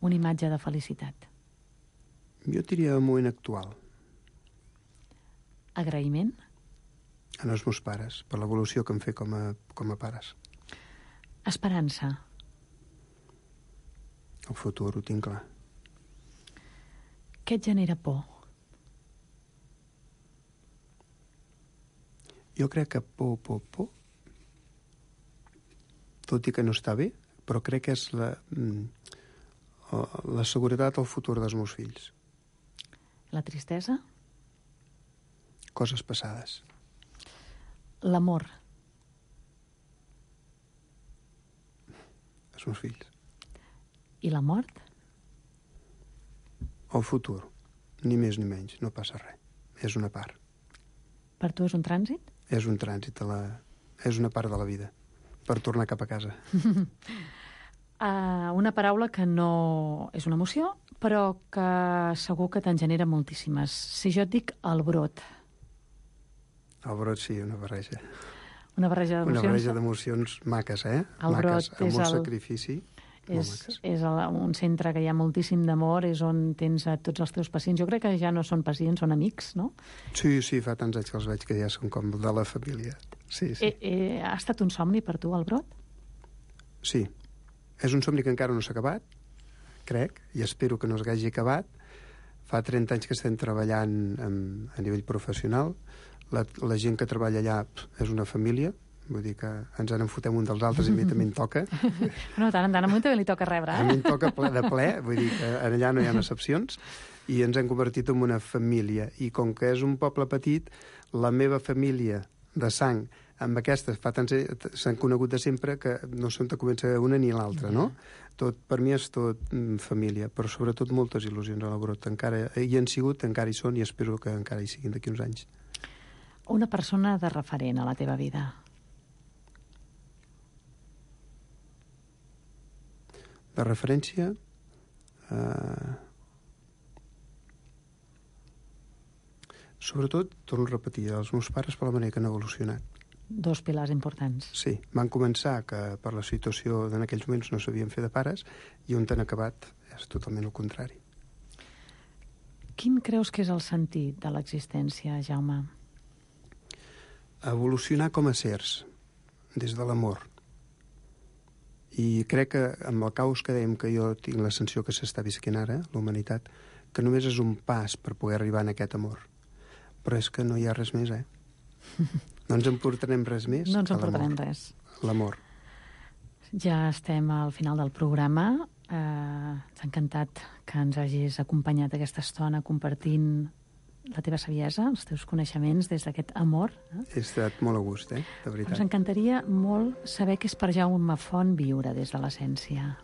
Una imatge de felicitat. Jo diria el moment actual, Agraïment. en els meus pares, per l'evolució que em fer com a, com a pares. Esperança. El futur ho tinc clar. Què et genera por? Jo crec que por, por, por, tot i que no està bé, però crec que és la, mm, la seguretat al futur dels meus fills. La tristesa? Coses passades. L'amor. Els meus fills. I la mort? El futur. Ni més ni menys, no passa res. És una part. Per tu és un trànsit? És un trànsit, a la... és una part de la vida, per tornar cap a casa. Uh, una paraula que no és una emoció, però que segur que te'n genera moltíssimes. Si jo et dic el brot, El brot sí, una barreja. una barreja Una d'emocions... barreja d'emocions maques, eh? El maques, brot amb és molt el- sacrifici. Molt És, maques. és el, un centre que hi ha moltíssim d'amor, és on tens a tots els teus pacients. Jo crec que ja no són pacients, són amics, no? Sí, sí, fa tants anys que els veig que ja són com de la família. Sí, sí. Eh, eh, ha estat un somni per tu, el brot? Sí. És un somni que encara no s'ha acabat, crec, i espero que no s'hagi acabat. Fa trenta anys que estem treballant amb, a nivell professional. La, la gent que treballa allà pff, és una família, vull dir que ens en enfotem un dels altres i a mi també em toca. No, tant en tant, a mi també li toca rebre, A mi eh? em toca ple de ple, vull dir que allà no hi ha excepcions, i ens hem convertit en una família. I com que és un poble petit, la meva família de sang amb aquestes fa tants s'han conegut de sempre que no sé on comença una ni l'altra, no? Tot, per mi és tot mm, família, però sobretot moltes il·lusions a la Brot. Encara hi han sigut, encara hi són i espero que encara hi siguin d'aquí uns anys. Una persona de referent a la teva vida. De referència, eh, sobretot, torno a repetir, els meus pares per la manera que han evolucionat. Dos pilars importants. Sí, van començar que per la situació en aquells moments no sabien fer de pares i on han acabat és totalment el contrari. Quin creus que és el sentit de l'existència, Jaume? Evolucionar com a éssers, des de l'amor. I crec que amb el caos que dèiem que jo tinc la sensació que s'està visquent ara, la humanitat, que només és un pas per poder arribar en aquest amor. Però és que no hi ha res més, eh? No ens emportarem res més No ens que emportarem l'amor. res. L'amor. Ja estem al final del programa. Eh, ens ha encantat que ens hagis acompanyat aquesta estona compartint la teva saviesa, els teus coneixements des d'aquest amor. Eh? He estat molt a gust, eh? De veritat. Ens encantaria molt saber què és per Jaume Font viure des de l'essència.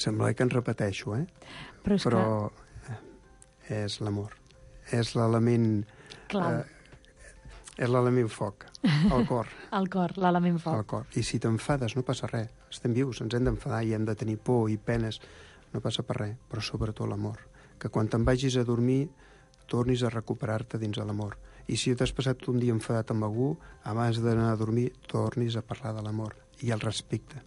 Sembla que ens repeteixo, eh? Però és Però que... és l'amor. És l'element... Clau. Eh, és l'element foc, el cor. El cor, l'element foc. El cor. I si t'enfades no passa res. Estem vius, ens hem d'enfadar i hem de tenir por i penes. No passa per res, però sobretot l'amor. Que quan te'n vagis a dormir tornis a recuperar-te dins de l'amor. I si t'has passat un dia enfadat amb algú, abans d'anar a dormir tornis a parlar de l'amor i el respecte.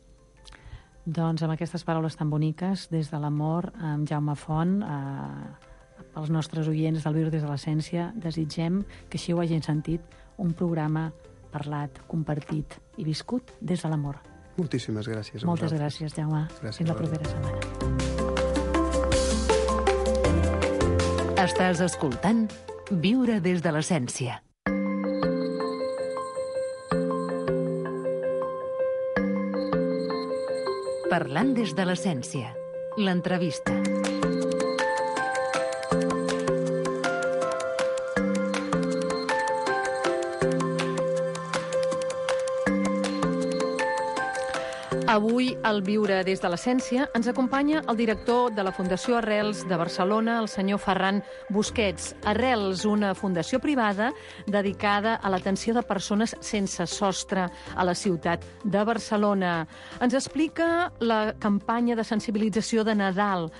Doncs amb aquestes paraules tan boniques, des de l'amor, amb Jaume Font, eh, als nostres oients del Viure des de l'Essència, desitgem que així ho hagin sentit, un programa parlat, compartit i viscut des de l'amor. Moltíssimes gràcies a Moltes vosaltres. gràcies, Jaume. Gràcies Fins la a propera setmana. Estàs escoltant Viure des de l'Essència. Parlant des de l'Essència. L'entrevista. Avui, al Viure des de l'Essència, ens acompanya el director de la Fundació Arrels de Barcelona, el senyor Ferran Busquets. Arrels, una fundació privada dedicada a l'atenció de persones sense sostre a la ciutat de Barcelona. Ens explica la campanya de sensibilització de Nadal,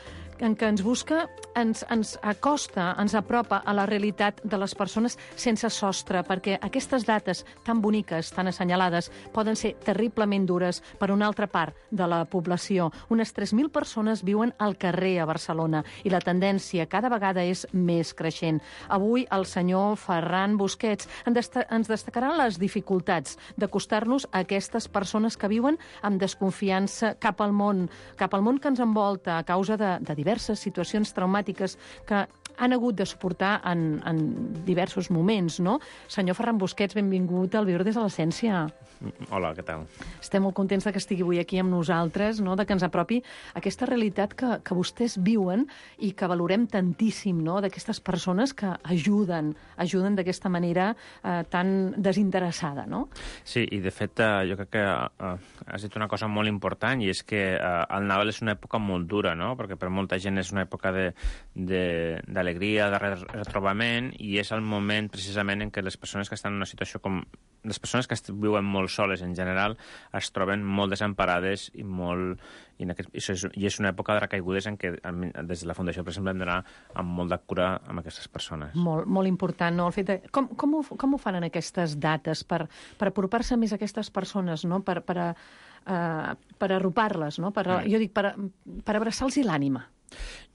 en què ens busca, ens, ens acosta, ens apropa a la realitat de les persones sense sostre, perquè aquestes dates tan boniques, tan assenyalades, poden ser terriblement dures per una altra part de la població. Unes tres mil persones viuen al carrer a Barcelona i la tendència cada vegada és més creixent. Avui el senyor Ferran Busquets ens destacarà les dificultats d'acostar-nos a aquestes persones que viuen amb desconfiança cap al món, cap al món que ens envolta a causa de, de diverses situacions traumàtiques que han hagut de suportar en, en diversos moments, no? Senyor Ferran Busquets, benvingut al Viure des de l'Essència. Hola, què tal? Estem molt contents de que estigui avui aquí amb nosaltres, no? De que ens apropi aquesta realitat que, que vostès viuen i que valorem tantíssim, no? D'aquestes persones que ajuden, ajuden d'aquesta manera eh, tan desinteressada, no? Sí, i de fet eh, jo crec que eh, has dit una cosa molt important i és que eh, el Nadal és una època molt dura, no? Perquè per molta gent és una època de, de, d'alegria, de retrobament i és el moment precisament en què les persones que estan en una situació com... Les persones que viuen molt soles en general es troben molt desemparades i molt... I, en aquest, i, és, i és una època de recaigudes en què des de la Fundació, per exemple, hem d'anar amb molt de cura amb aquestes persones. Molt, molt important, no? El fet de... com, com, ho, com ho fan en aquestes dates per, per apropar-se més a aquestes persones, no? Per, per, a, uh, per arropar-les, no? Per, mm. Jo dic, per, per abraçar-los l'ànima.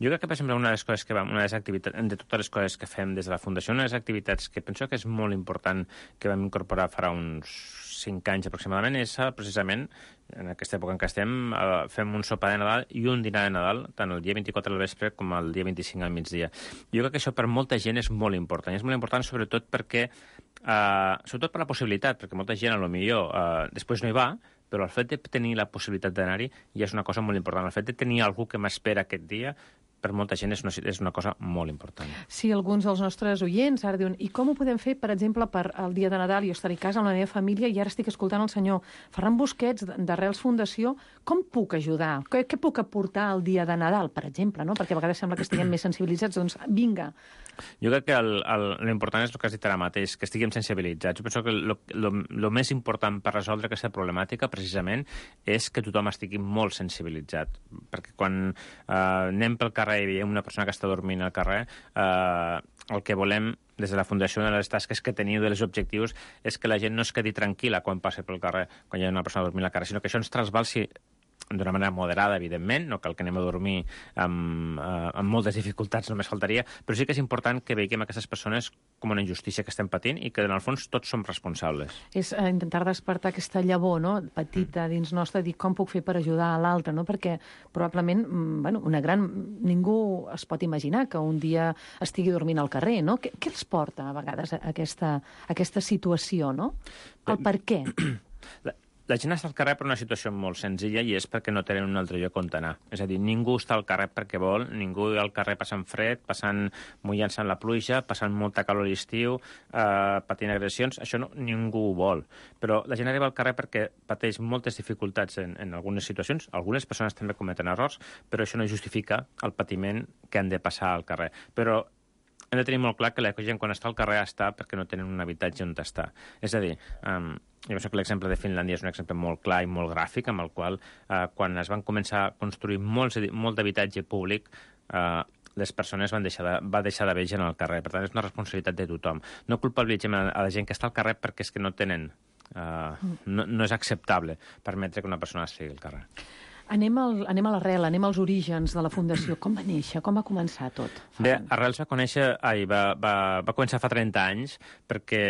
Jo crec que, per exemple, una de les coses que vam, una de les activitats, de totes les coses que fem des de la Fundació, una de les activitats que penso que és molt important que vam incorporar farà uns cinc anys aproximadament és precisament, en aquesta època en què estem, fem un sopar de Nadal i un dinar de Nadal, tant el dia vint-i-quatre al vespre com el dia vint-i-cinc al migdia. Jo crec que això per molta gent és molt important. I és molt important sobretot perquè, eh, sobretot per la possibilitat, perquè molta gent, a lo millor, eh, després no hi va, però el fet de tenir la possibilitat d'anar-hi ja és una cosa molt important. El fet de tenir algú que m'espera aquest dia, per molta gent és una, és una cosa molt important. Sí, alguns dels nostres oients ara diuen i com ho podem fer, per exemple, per el dia de Nadal? Jo estaré a casa amb la meva família i ara estic escoltant el senyor Ferran Busquets d'Arrels Fundació. Com puc ajudar? Què, què puc aportar el dia de Nadal, per exemple? No? Perquè a vegades sembla que estiguem més sensibilitzats. Doncs vinga. Jo crec que l'important és el que has dit ara mateix, que estiguem sensibilitzats. Jo penso que el més important per resoldre aquesta problemàtica, precisament, és que tothom estigui molt sensibilitzat. Perquè quan eh, anem pel carrer i veiem una persona que està dormint al carrer, eh, el que volem des de la Fundació, una de les tasques que teniu, dels objectius, és que la gent no es quedi tranquil·la quan passa pel carrer, quan hi ha una persona dormint al carrer, sinó que això ens trasbalsi d'una manera moderada, evidentment, no cal que anem a dormir amb, eh, amb moltes dificultats, només faltaria, però sí que és important que veiem aquestes persones com una injustícia que estem patint i que, en el fons, tots som responsables. És eh, intentar despertar aquesta llavor, no?, petita dins nostra, dir com puc fer per ajudar a l'altre, no?, perquè probablement, bueno, una gran... Ningú es pot imaginar que un dia estigui dormint al carrer, no? Què, què els porta, a vegades, a aquesta, a aquesta situació, no? El per què? La... La gent està al carrer per una situació molt senzilla i és perquè no tenen un altre lloc on anar. És a dir, ningú està al carrer perquè vol, ningú al carrer passant fred, passant mullant-se en la pluja, passant molta calor a l'estiu, eh, patint agressions, això no, ningú ho vol. Però la gent arriba al carrer perquè pateix moltes dificultats en, en algunes situacions, algunes persones també cometen errors, però això no justifica el patiment que han de passar al carrer. Però hem de tenir molt clar que la gent quan està al carrer està perquè no tenen un habitatge on està. És a dir, um, jo penso que l'exemple de Finlàndia és un exemple molt clar i molt gràfic, amb el qual, uh, quan es van començar a construir molts, molt d'habitatge públic, uh, les persones van deixar de, va deixar d'haver gent al carrer. Per tant, és una responsabilitat de tothom. No culpabilitzem a la gent que està al carrer perquè és que no tenen... Uh, no, no és acceptable permetre que una persona estigui al carrer. Anem, al, anem a l'arrel, anem als orígens de la Fundació. Com va néixer? Com va començar tot? Bé, Arrels va conèixer... Ai, va, va, va començar fa trenta anys perquè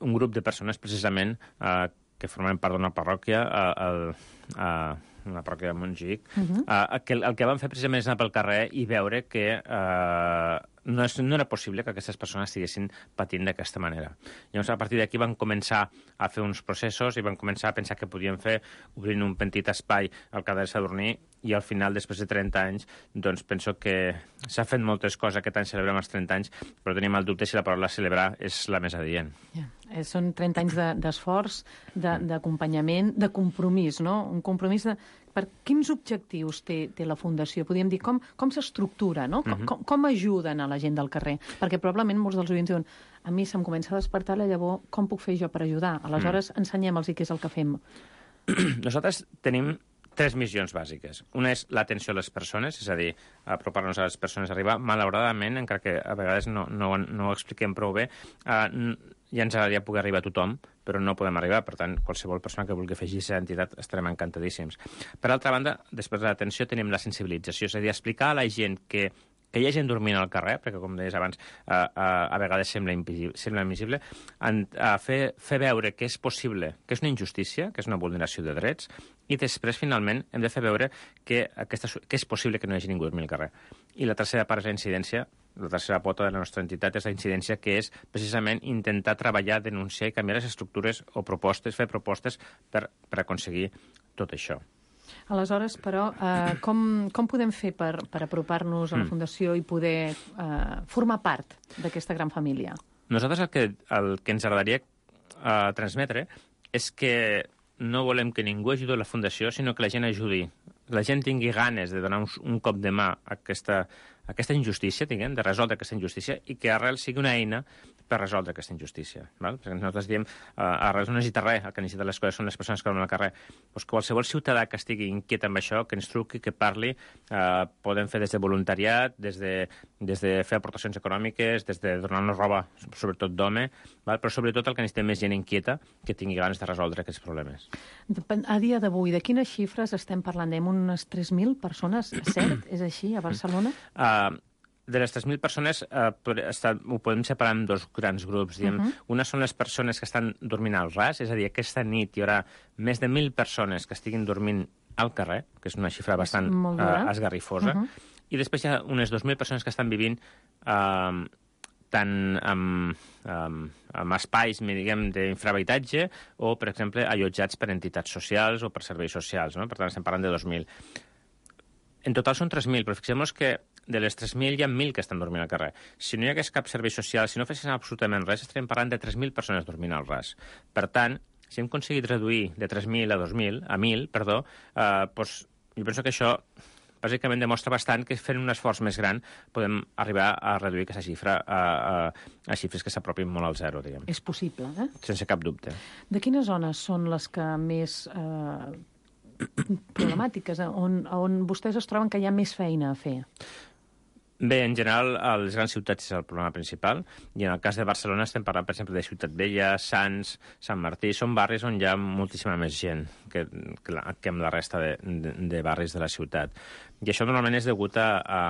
un grup de persones, precisament, eh, que formen part d'una parròquia, eh, el, eh, una parròquia de Montjuïc, uh -huh. eh, que el, el que van fer precisament és anar pel carrer i veure que... Eh, No, és, no era possible que aquestes persones estiguessin patint d'aquesta manera. Llavors, a partir d'aquí van començar a fer uns processos i van començar a pensar què podien fer, obrint un petit espai al Cadell Sadurní, i al final, després de trenta anys, doncs penso que s'ha fet moltes coses. Aquest any celebrem els trenta anys, però tenim el dubte si la paraula celebrar és la més adient. Yeah. Eh, són trenta anys d'esforç, de, d'acompanyament, de compromís, no? Un compromís de... Per quins objectius té, té la Fundació? Podríem dir, com, com s'estructura, no? Com, uh-huh. com, com ajuden a la gent del carrer? Perquè probablement molts dels oients diuen a mi se'm comença a despertar la llavor, com puc fer jo per ajudar? Aleshores, uh-huh. ensenyem-los què és el que fem. Nosaltres tenim tres missions bàsiques. Una és l'atenció a les persones, és a dir, apropar-nos a les persones a arribar. Malauradament, encara que a vegades no, no, no ho expliquem prou bé, eh, ja ens agradaria poder arribar a tothom, però no podem arribar. Per tant, qualsevol persona que vulgui afegir aquesta entitat estarem encantadíssims. Per altra banda, després de l'atenció tenim la sensibilització, és a dir, explicar a la gent que que hi ha gent dormint al carrer, perquè, com deies abans, a, a, a vegades sembla invisible, sembla invisible en, a fer, fer veure que és possible, que és una injustícia, que és una vulneració de drets, i després, finalment, hem de fer veure que, aquesta, que és possible que no hi hagi ningú dormint al carrer. I la tercera part és la incidència, la tercera pota de la nostra entitat és la incidència, que és precisament intentar treballar, denunciar i canviar les estructures o propostes, fer propostes per, per aconseguir tot això. Aleshores, però, eh, com, com podem fer per, per apropar-nos a la Fundació i poder eh, formar part d'aquesta gran família? Nosaltres el que, el que ens agradaria eh, transmetre és que no volem que ningú ajudi a la Fundació, sinó que la gent ajudi. La gent tingui ganes de donar un, un cop de mà a aquesta, a aquesta injustícia, diguem, de resoldre aquesta injustícia, i que Arrel sigui una eina per resoldre aquesta injustícia. Val? Perquè nosaltres diem, uh, Arrel no necessita res, el que necessita les coses són les persones que dormen al carrer. Pues qualsevol ciutadà que estigui inquiet amb això, que ens truqui, que parli, uh, podem fer des de voluntariat, des de, des de fer aportacions econòmiques, des de donar-nos roba, sobretot d'home, val? Però sobretot el que necessitem és gent inquieta que tingui ganes de resoldre aquests problemes. A dia d'avui, de quines xifres estem parlant? Hem unes tres mil persones, cert? És així, a Barcelona? Uh, de les tres mil persones eh, ho podem separar en dos grans grups. Diem. Uh-huh. Una són les persones que estan dormint al ras, és a dir, aquesta nit hi haurà més de mil persones que estiguin dormint al carrer, que és una xifra bastant eh, esgarrifosa, uh-huh. I després hi ha unes dos mil persones que estan vivint eh, tant amb, amb, amb espais, diguem, d'infrahabitatge o, per exemple, allotjats per entitats socials o per serveis socials, no? Per tant, estem parlant de dos mil. En total són tres mil, però fixem-nos que de les tres mil hi ha mil que estan dormint al carrer. Si no hi hagués cap servei social, si no fessin absolutament res, estaríem parlant de tres mil persones dormint al ras. Per tant, si hem aconseguit reduir de tres mil a dos mil, a mil, perdó, eh, doncs jo penso que això bàsicament demostra bastant que fent un esforç més gran podem arribar a reduir aquesta xifra a, a, a xifres que s'apropin molt al zero, diguem. És possible, eh? Sense cap dubte. De quines zones són les que més eh, problemàtiques, eh? on, on vostès es troben que hi ha més feina a fer? Bé, en general, a les grans ciutats és el problema principal, i en el cas de Barcelona estem parlant, per exemple, de Ciutat Vella, Sants, Sant Martí, són barris on hi ha moltíssima més gent que, que, la, que en la resta de, de, de barris de la ciutat. I això normalment és degut a, a,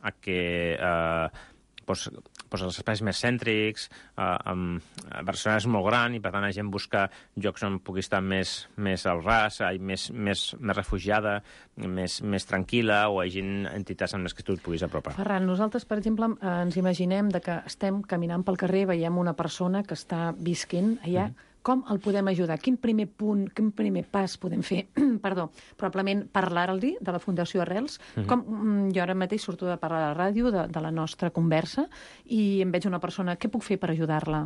a que eh, pues, pues els espais més cèntrics, eh, amb, Barcelona és molt gran i per tant la gent busca llocs on pugui estar més, més al ras, més, més, més refugiada, més, més tranquil·la, o hi hagi entitats amb les que tu et puguis apropar. Ferran, nosaltres, per exemple, ens imaginem de que estem caminant pel carrer, veiem una persona que està visquent allà, mm-hmm. Com el podem ajudar? Quin primer punt, quin primer pas podem fer? Perdó, probablement parlar-li de la Fundació Arrels. Mm-hmm. Com, jo ara mateix surto de parlar a la ràdio, de, de la nostra conversa, i em veig una persona. Què puc fer per ajudar-la?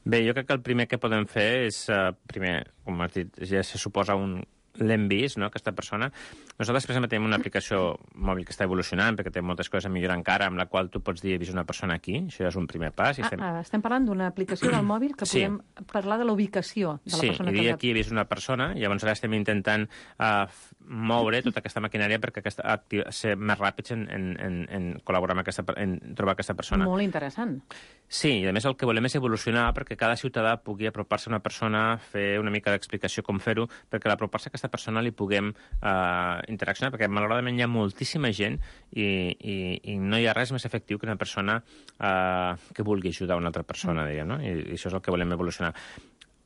Bé, jo crec que el primer que podem fer és, uh, primer, com has dit, ja se suposa un l'hem vist, no?, aquesta persona. Nosaltres, per exemple, tenim una aplicació mòbil que està evolucionant, perquè té moltes coses a millorar encara, amb la qual tu pots dir he vist una persona aquí, això ja és un primer pas. I ah, estem... ah, estem parlant d'una aplicació del mòbil que sí. podem parlar de la ubicació de la sí, persona. Sí, i dir que... aquí he vist una persona, i llavors ara estem intentant uh, moure tota aquesta maquinària perquè aquesta, ser més ràpids en, en, en, en col·laborar amb aquesta, en trobar aquesta persona. Molt interessant. Sí, i a més el que volem és evolucionar perquè cada ciutadà pugui apropar-se a una persona, fer una mica d'explicació com fer-ho, perquè a l'apropar-se a aquesta persona li puguem uh, interaccionar, perquè malauradament hi ha moltíssima gent i, i, i no hi ha res més efectiu que una persona uh, que vulgui ajudar una altra persona, diguem, no? I, i això és el que volem evolucionar.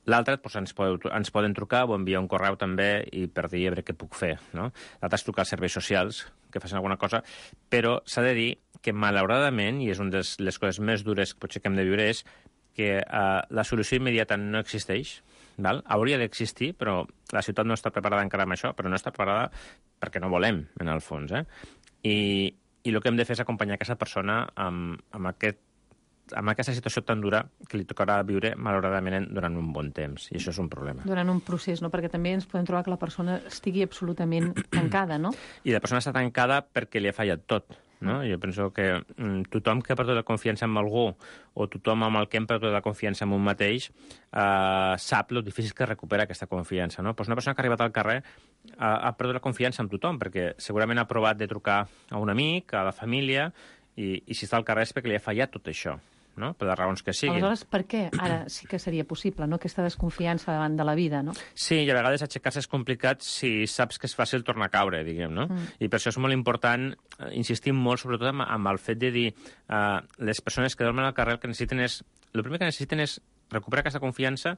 L'altre, doncs, ens, podeu, ens poden trucar o enviar un correu també i per dir a veure què puc fer, no? L'altre és trucar als serveis socials, que facin alguna cosa, però s'ha de dir que, malauradament, i és una de les coses més dures que potser que hem de viure, és que uh, la solució immediata no existeix, val? Hauria d'existir, però la ciutat no està preparada encara amb això, però no està preparada perquè no volem, en el fons, eh? I, i el que hem de fer és acompanyar aquesta persona amb, amb aquest amb aquesta situació tan dura que li tocarà viure, malauradament, durant un bon temps. I això és un problema. Durant un procés, no? Perquè també ens podem trobar que la persona estigui absolutament tancada, no? I la persona està tancada perquè li ha fallat tot, no? Jo penso que mm, tothom que ha perdut la confiança en algú o tothom amb el que hem perdut la confiança en un mateix eh, sap lo difícil que recupera aquesta confiança, no? Pues una persona que ha arribat al carrer eh, ha perdut la confiança en tothom perquè segurament ha provat de trucar a un amic, a la família, i, i si està al carrer és perquè li ha fallat tot això, no? Per les raons que siguin. Aleshores, per què ara sí que seria possible, no?, aquesta desconfiança davant de la vida, no? Sí, i a vegades aixecar-se és complicat si saps que és fàcil tornar a caure, diguem, no? Mm. I per això és molt important, eh, insistim molt, sobretot amb, amb el fet de dir eh, les persones que dormen al carrer el que necessiten és... El primer que necessiten és recuperar aquesta confiança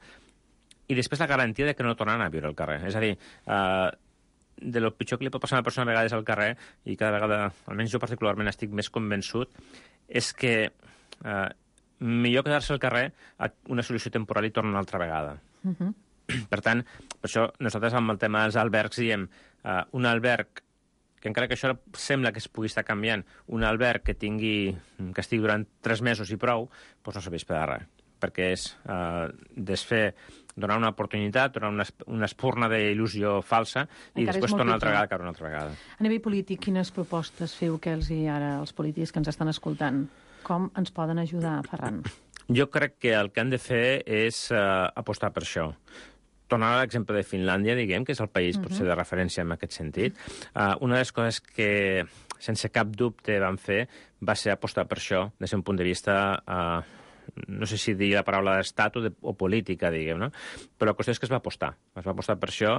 i després la garantia de que no tornaran a viure al carrer. És a dir, eh, de lo pitjor que li pot passar a una persona a vegades al carrer, i cada vegada, almenys jo particularment estic més convençut, és que eh, millor quedar-se al carrer a una solució temporal i tornar una altra vegada. Uh-huh. Per tant, per això nosaltres amb el tema dels albergs diem uh, un alberg que encara que això sembla que es pugui estar canviant, un alberg que tingui que estigui durant tres mesos i prou, doncs no serveix per a res, perquè és uh, desfer, donar una oportunitat, donar una, una espurna d'il·lusió falsa i encara després tornar una altra vegada a caure una altra vegada. A nivell polític, quines propostes feu que els hi ara els polítics que ens estan escoltant? Com ens poden ajudar, Ferran? Jo crec que el que han de fer és uh, apostar per això. Tornar a l'exemple de Finlàndia, diguem, que és el país uh-huh. potser de referència en aquest sentit. Uh, una de les coses que, sense cap dubte, van fer va ser apostar per això, des d'un punt de vista... Uh, no sé si dir la paraula d'estat o, de, o política, diguem, no? Però la qüestió és que es va apostar. Es va apostar per això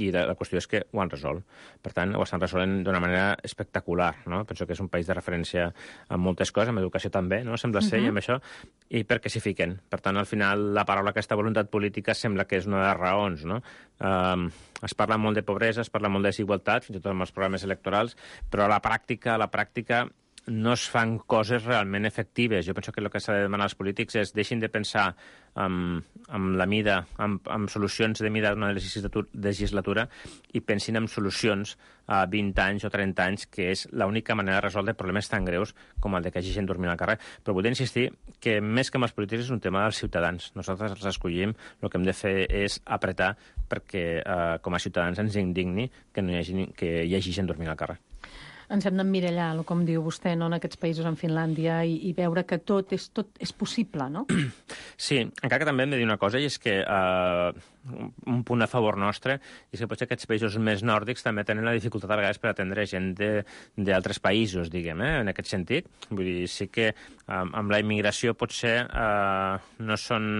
i la, la qüestió és que ho han resolt. Per tant, ho estan resolent d'una manera espectacular, no? Penso que és un país de referència en moltes coses, en educació també, no? Sembla ser, uh-huh. i amb això, i perquè s'hi fiquen. Per tant, al final, la paraula aquesta voluntat política sembla que és una de les raons, no? Um, es parla molt de pobresa, es parla molt de desigualtat, fins i tot amb els programes electorals, però a la pràctica, a la pràctica, no es fan coses realment efectives. Jo penso que el que s'ha de demanar als polítics és deixin de pensar en, en la mida, en, en solucions de mida d'una legislatura, legislatura i pensin en solucions a vint anys o trenta anys, que és l'única manera de resoldre problemes tan greus com el de que hagi gent dormint al carrer. Però vull insistir que més que amb els polítics és un tema dels ciutadans. Nosaltres els escollim, el que hem de fer és apretar perquè eh, com a ciutadans ens indigni que, no hi hagi, que hi hagi gent dormint al carrer. Ens hem d'emmirallar, com diu vostè, no, en aquests països, en Finlàndia, i, i veure que tot és, tot és possible, no? Sí, encara que també hem de dir una cosa, i és que eh, un punt a favor nostre és que potser aquests països més nòrdics també tenen la dificultat a vegades per atendre gent d'altres països, diguem, eh, en aquest sentit. Vull dir, sí que eh, amb la immigració potser eh, no són...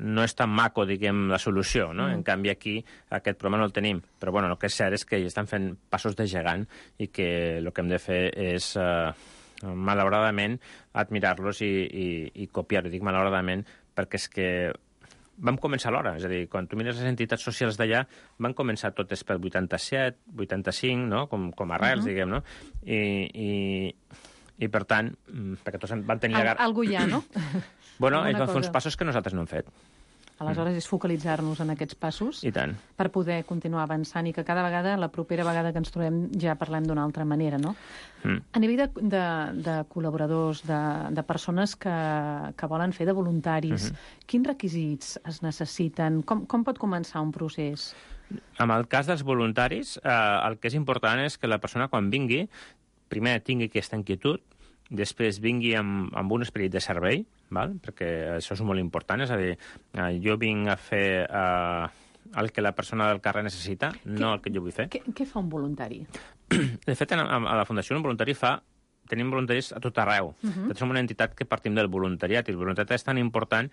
no és tan maco, diguem, la solució, no? Mm. En canvi, aquí aquest problema no el tenim. Però, bueno, el que és cert és que hi estan fent passos de gegant i que el que hem de fer és, eh, malauradament, admirar-los i, i, i copiar-ho. Dic malauradament perquè és que vam començar a l'hora. És a dir, quan tu mires les entitats socials d'allà, van començar totes pel vuitanta-set, vuitanta-cinc, no? Com, com arrels, uh -huh. diguem, no? I, i, i, per tant, perquè tots van tenir... Al, algú hi ha, no? Bueno, hi ha uns passos que nosaltres no hem fet. Aleshores, és focalitzar-nos en aquests passos I tant. Per poder continuar avançant i que cada vegada, la propera vegada que ens trobem, ja parlem d'una altra manera, no? Mm. A nivell de, de, de col·laboradors, de, de persones que, que volen fer de voluntaris, mm-hmm. quins requisits es necessiten? Com, com pot començar un procés? En el cas dels voluntaris, eh, el que és important és que la persona, quan vingui, primer tingui aquesta inquietud, després vingui amb, amb un esperit de servei, val? Perquè això és molt important, és a dir, eh, jo vinc a fer eh, el que la persona del carrer necessita, què, no el que jo vull fer. Què, què fa un voluntari? De fet, a, a la Fundació un voluntari fa... Tenim voluntaris a tot arreu. Uh -huh. Som una entitat que partim del voluntariat, i el voluntariat és tan important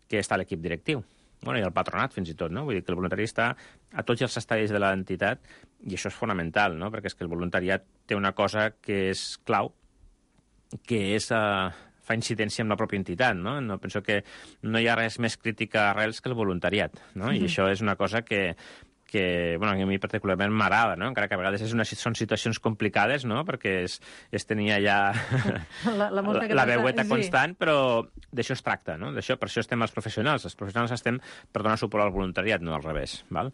que està a l'equip directiu. Bueno, i al patronat, fins i tot, no? Vull dir que el voluntari està a tots els estadis de l'entitat, i això és fonamental, no? Perquè és que el voluntariat té una cosa que és clau, que és, uh, fa incidència en la pròpia entitat, no? No penso que no hi ha res més crític a arrels que el voluntariat, no? Mm-hmm. I això és una cosa que, que bueno, a mi particularment m'agrada, no? Encara que a vegades és una, són situacions complicades, no? Perquè és, és tenir allà la, la, la, la veueta sí. constant, però d'això es tracta, no? D'això, per això estem els professionals. Els professionals estem per donar suport al voluntariat, no al revés, val?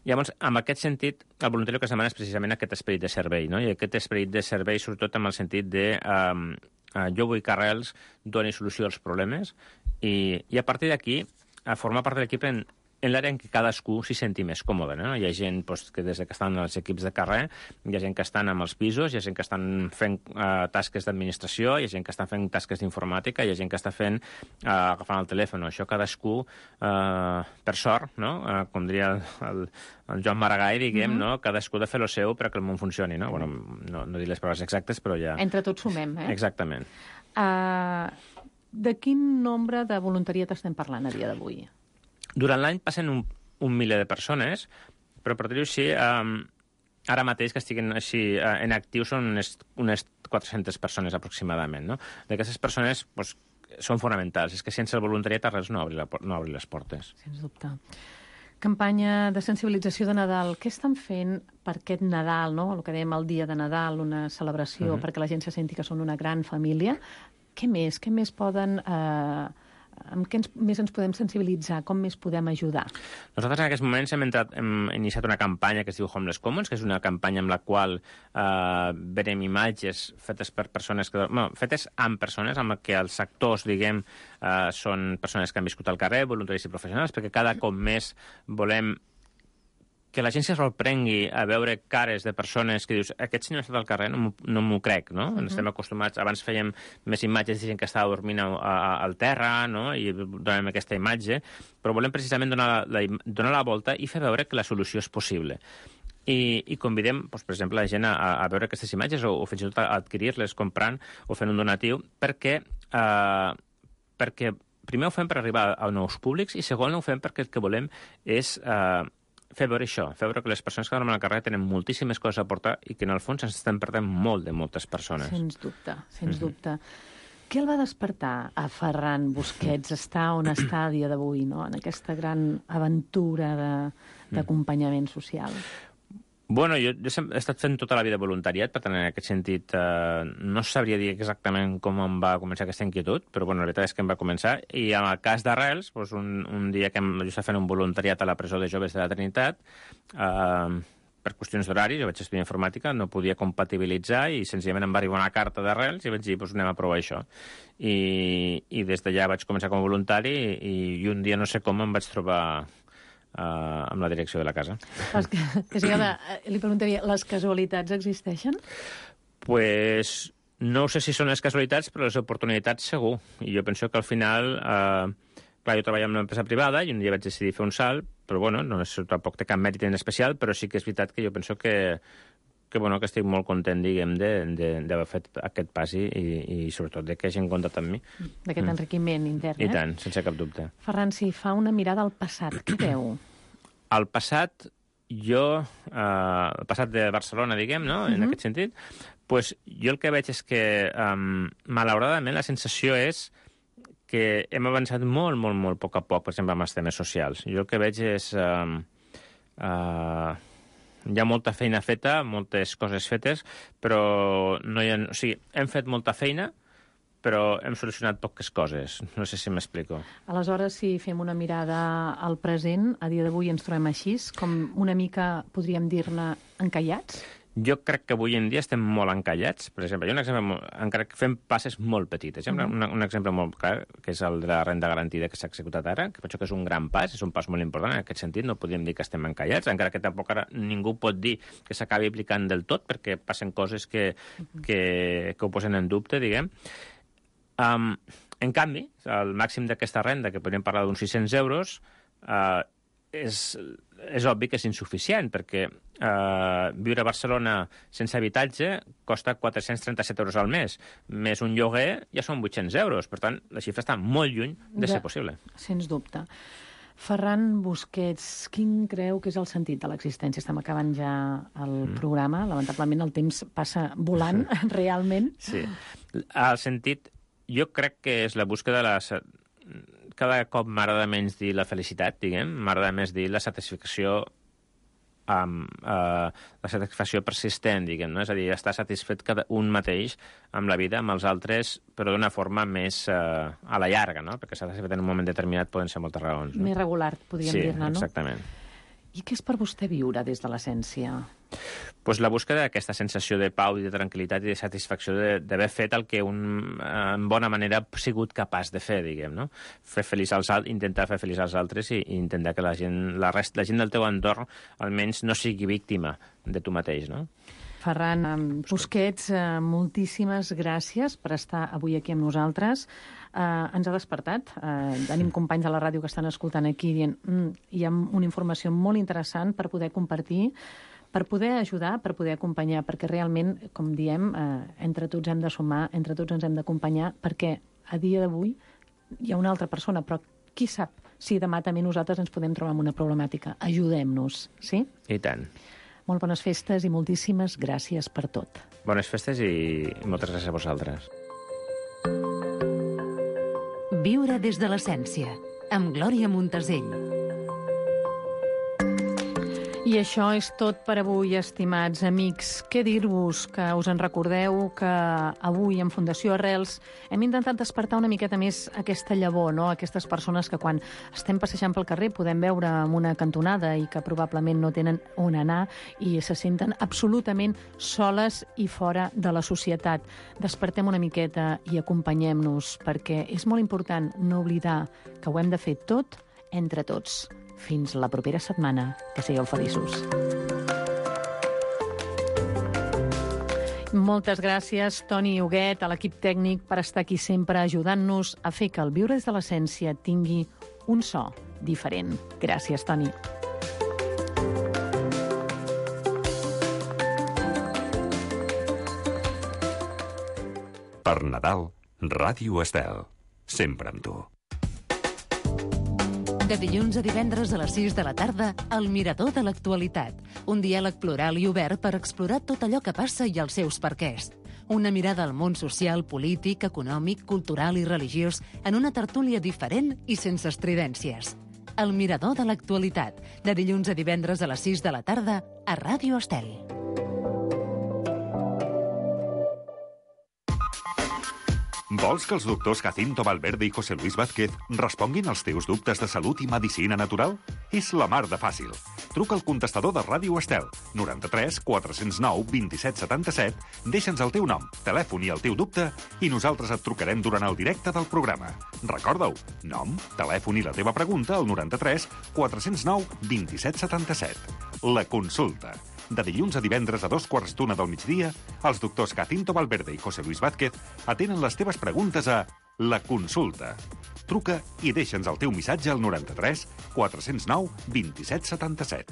Llavors, en aquest sentit, el voluntari el que es demana és precisament aquest esperit de servei, no? I aquest esperit de servei, sobretot amb el sentit de... Um, uh, jo vull que Arrels doni solució als problemes, i, i a partir d'aquí, a formar part de l'equip en, en l'àrea en què cadascú s'hi senti més còmode, no? Hi ha gent doncs, que des que estan als equips de carrer, hi ha gent que estan amb els pisos, hi ha gent que estan fent uh, tasques d'administració, hi ha gent que estan fent tasques d'informàtica, hi ha gent que està fent, uh, agafant el telèfon. Això cadascú, uh, per sort, no? Uh, com diria el, el, el Joan Maragall, diguem, mm-hmm. no? Cadascú ha de fer el seu perquè el món funcioni, no? Bueno, no, no dic les paraules exactes, però ja... Entre tots sumem, eh? Exactament. Uh, de quin nombre de voluntariat estem parlant a dia d'avui? Durant l'any passen un, un miler de persones, però per dir-ho així, um, ara mateix que estiguin així uh, en actiu són unes, unes quatre-centes persones aproximadament, no? D'aquestes persones doncs, són fonamentals. És que sense el voluntariat res no obri, la, no obri les portes. Sens dubte. Campanya de sensibilització de Nadal. Què estan fent per aquest Nadal, no? El que dèiem el dia de Nadal, una celebració, uh-huh. perquè la gent se senti que són una gran família. Què més? Què més poden... Eh, amb què ens, més ens podem sensibilitzar? Com més podem ajudar? Nosaltres en aquests moments hem, entrat, hem iniciat una campanya que es diu Homeless Commons, que és una campanya amb la qual eh, venem imatges fetes per persones que... Bueno, fetes amb persones, amb què els actors, diguem, eh, són persones que han viscut al carrer, voluntaris i professionals, perquè cada cop més volem que la gent se sorprengui a veure cares de persones que dius, aquest senyor ha estat al carrer, no, no m'ho crec, no? Uh-huh. Estem acostumats, abans fèiem més imatges de gent que estava dormint a, a, al terra, no? I donem aquesta imatge, però volem precisament donar la, donar la volta i fer veure que la solució és possible. I, i convidem, doncs, per exemple, la gent a, a veure aquestes imatges o, o fins i tot a adquirir-les comprant o fent un donatiu, perquè, eh, perquè primer ho fem per arribar a nous públics i segon ho fem perquè el que volem és... Eh, fer veure això, fer veure que les persones que dormen al carrer tenen moltíssimes coses a aportar i que en el fons ens estem perdent molt de moltes persones. Sens dubte, sens mm-hmm. dubte. Què el va despertar a Ferran Busquets estar on està a dia d'avui, no? En aquesta gran aventura d'acompanyament social? Bueno, jo, jo he estat fent tota la vida voluntariat, per tant, en aquest sentit, eh, no sabria dir exactament com em va començar aquesta inquietud, però bueno, la veritat és que em va començar. I en el cas d'Arrels, doncs un, un dia que em, jo estava fent un voluntariat a la presó de joves de la Trinitat, eh, per qüestions d'horari, jo vaig estudiar informàtica, no podia compatibilitzar i senzillament em va arribar una carta d'Arrels i vaig dir, doncs anem a provar això. I, i des d'allà vaig començar com a voluntari i, i un dia no sé com em vaig trobar Uh, amb la direcció de la casa. Les que, que sí, home, li preguntaria, les casualitats existeixen? Pues no sé si són les casualitats, però les oportunitats segur. I jo penso que al final... Uh, clar, jo treballava en una empresa privada i un dia vaig decidir fer un salt, però bueno, no és, tampoc té cap mèrit en especial, però sí que és veritat que jo penso que que, bueno, que estic molt content, diguem, d'haver fet aquest pas i, i, i sobretot de que hagin comptat amb mi. D'aquest mm. enriquiment intern, I eh? tant, sense cap dubte. Ferran, si fa una mirada al passat, què veu? Al passat, jo, eh, el passat de Barcelona, diguem, no?, en uh-huh. aquest sentit, pues, jo el que veig és que, um, malauradament, la sensació és que hem avançat molt, molt, molt a poc a poc, per exemple, amb els temes socials. Jo el que veig és... Um, uh, hi ha molta feina feta, moltes coses fetes, però no hi ha... O sigui, hem fet molta feina, però hem solucionat poques coses. No sé si m'explico. Aleshores, si fem una mirada al present, a dia d'avui ens trobem així, com una mica, podríem dir-ne, encallats? Jo crec que avui en dia estem molt encallats. Per exemple, hi ha un exemple, molt, encara que fem passes molt petites. Hi ha un, un exemple molt clar, que és el de la renda garantida que s'ha executat ara, que penso que és un gran pas, és un pas molt important en aquest sentit, no podríem dir que estem encallats, encara que tampoc ara ningú pot dir que s'acabi aplicant del tot, perquè passen coses que, que, que ho posen en dubte, diguem. Um, en canvi, el màxim d'aquesta renda, que podríem parlar d'uns sis-cents euros, uh, és, és obvi que és insuficient, perquè eh, viure a Barcelona sense habitatge costa quatre-cents trenta-set euros al mes, més un lloguer ja són vuit-cents euros. Per tant, la xifra està molt lluny de, de ser possible. Sens dubte. Ferran Busquets, quin creu que és el sentit de l'existència? Estem acabant ja el mm. programa. Lamentablement el temps passa volant, realment. Sí. El sentit, jo crec que és la búsqueda de la... Cada cop m'agrada menys dir la felicitat, diguem, m'agrada més dir la satisfacció amb uh, la satisfacció persistent, diguem, no? És a dir, estar satisfet cada un mateix amb la vida, amb els altres, però d'una forma més uh, a la llarga, no? Perquè satisfet en un moment determinat poden ser moltes raons. No? Més regular, podríem sí, dir-ne, no? Sí, exactament. I què és per vostè viure des de l'essència? Pues la búsqueda d'aquesta sensació de pau i de tranquil·litat i de satisfacció d'haver fet el que un, en bona manera, ha sigut capaç de fer, diguem, no? Fer feliç als altres, intentar fer feliç als altres i, i intentar que la gent, la, rest, la gent del teu entorn almenys no sigui víctima de tu mateix, no? Ferran Busquets, eh, moltíssimes gràcies per estar avui aquí amb nosaltres. Eh, ens ha despertat. Eh, tenim companys de la ràdio que estan escoltant aquí dient mm, hi ha una informació molt interessant per poder compartir, per poder ajudar, per poder acompanyar, perquè realment, com diem, eh, entre tots hem de sumar, entre tots ens hem d'acompanyar, perquè a dia d'avui hi ha una altra persona, però qui sap si demà també nosaltres ens podem trobar amb una problemàtica. Ajudem-nos, sí? I tant. Molt bones festes i moltíssimes gràcies per tot. Bones festes i moltes gràcies a vosaltres. Viure des de l'essència, amb Glòria Montesell. I això és tot per avui, estimats amics. Què dir-vos? Que us en recordeu que avui en Fundació Arrels hem intentat despertar una miqueta més aquesta llavor, no? Aquestes persones que quan estem passejant pel carrer podem veure en una cantonada i que probablement no tenen on anar i se senten absolutament soles i fora de la societat. Despertem una miqueta i acompanyem-nos, perquè és molt important no oblidar que ho hem de fer tot entre tots. Fins la propera setmana. Que sigueu feliços. Moltes gràcies, Toni Huguet, a l'equip tècnic, per estar aquí sempre ajudant-nos a fer que el Viure des de l'essència tingui un so diferent. Gràcies, Toni. Per Nadal, Ràdio Estel. Sempre amb tu. De dilluns a divendres a les sis de la tarda, El Mirador de l'Actualitat. Un diàleg plural i obert per explorar tot allò que passa i els seus perquès. Una mirada al món social, polític, econòmic, cultural i religiós en una tertúlia diferent i sense estridències. El mirador de l'actualitat, de dilluns a divendres a les sis de la tarda a Ràdio Estel. Vols que els doctors Jacinto Valverde i José Luis Vázquez responguin als teus dubtes de salut i medicina natural? És la mar de fàcil. Truca al contestador de Ràdio Estel, noranta-tres quatre cents nou vint-i-set setanta-set, deixa'ns el teu nom, telèfon i el teu dubte i nosaltres et trucarem durant el directe del programa. Recorda-ho, nom, telèfon i la teva pregunta al noranta-tres quatre cents nou vint-i-set setanta-set. La consulta. De dilluns a divendres a dos quarts d'una del migdia, els doctors Jacinto Valverde i José Luis Vázquez atenen les teves preguntes a La Consulta. Truca i deixa'ns el teu missatge al noranta-tres quatre cents nou vint-i-set setanta-set.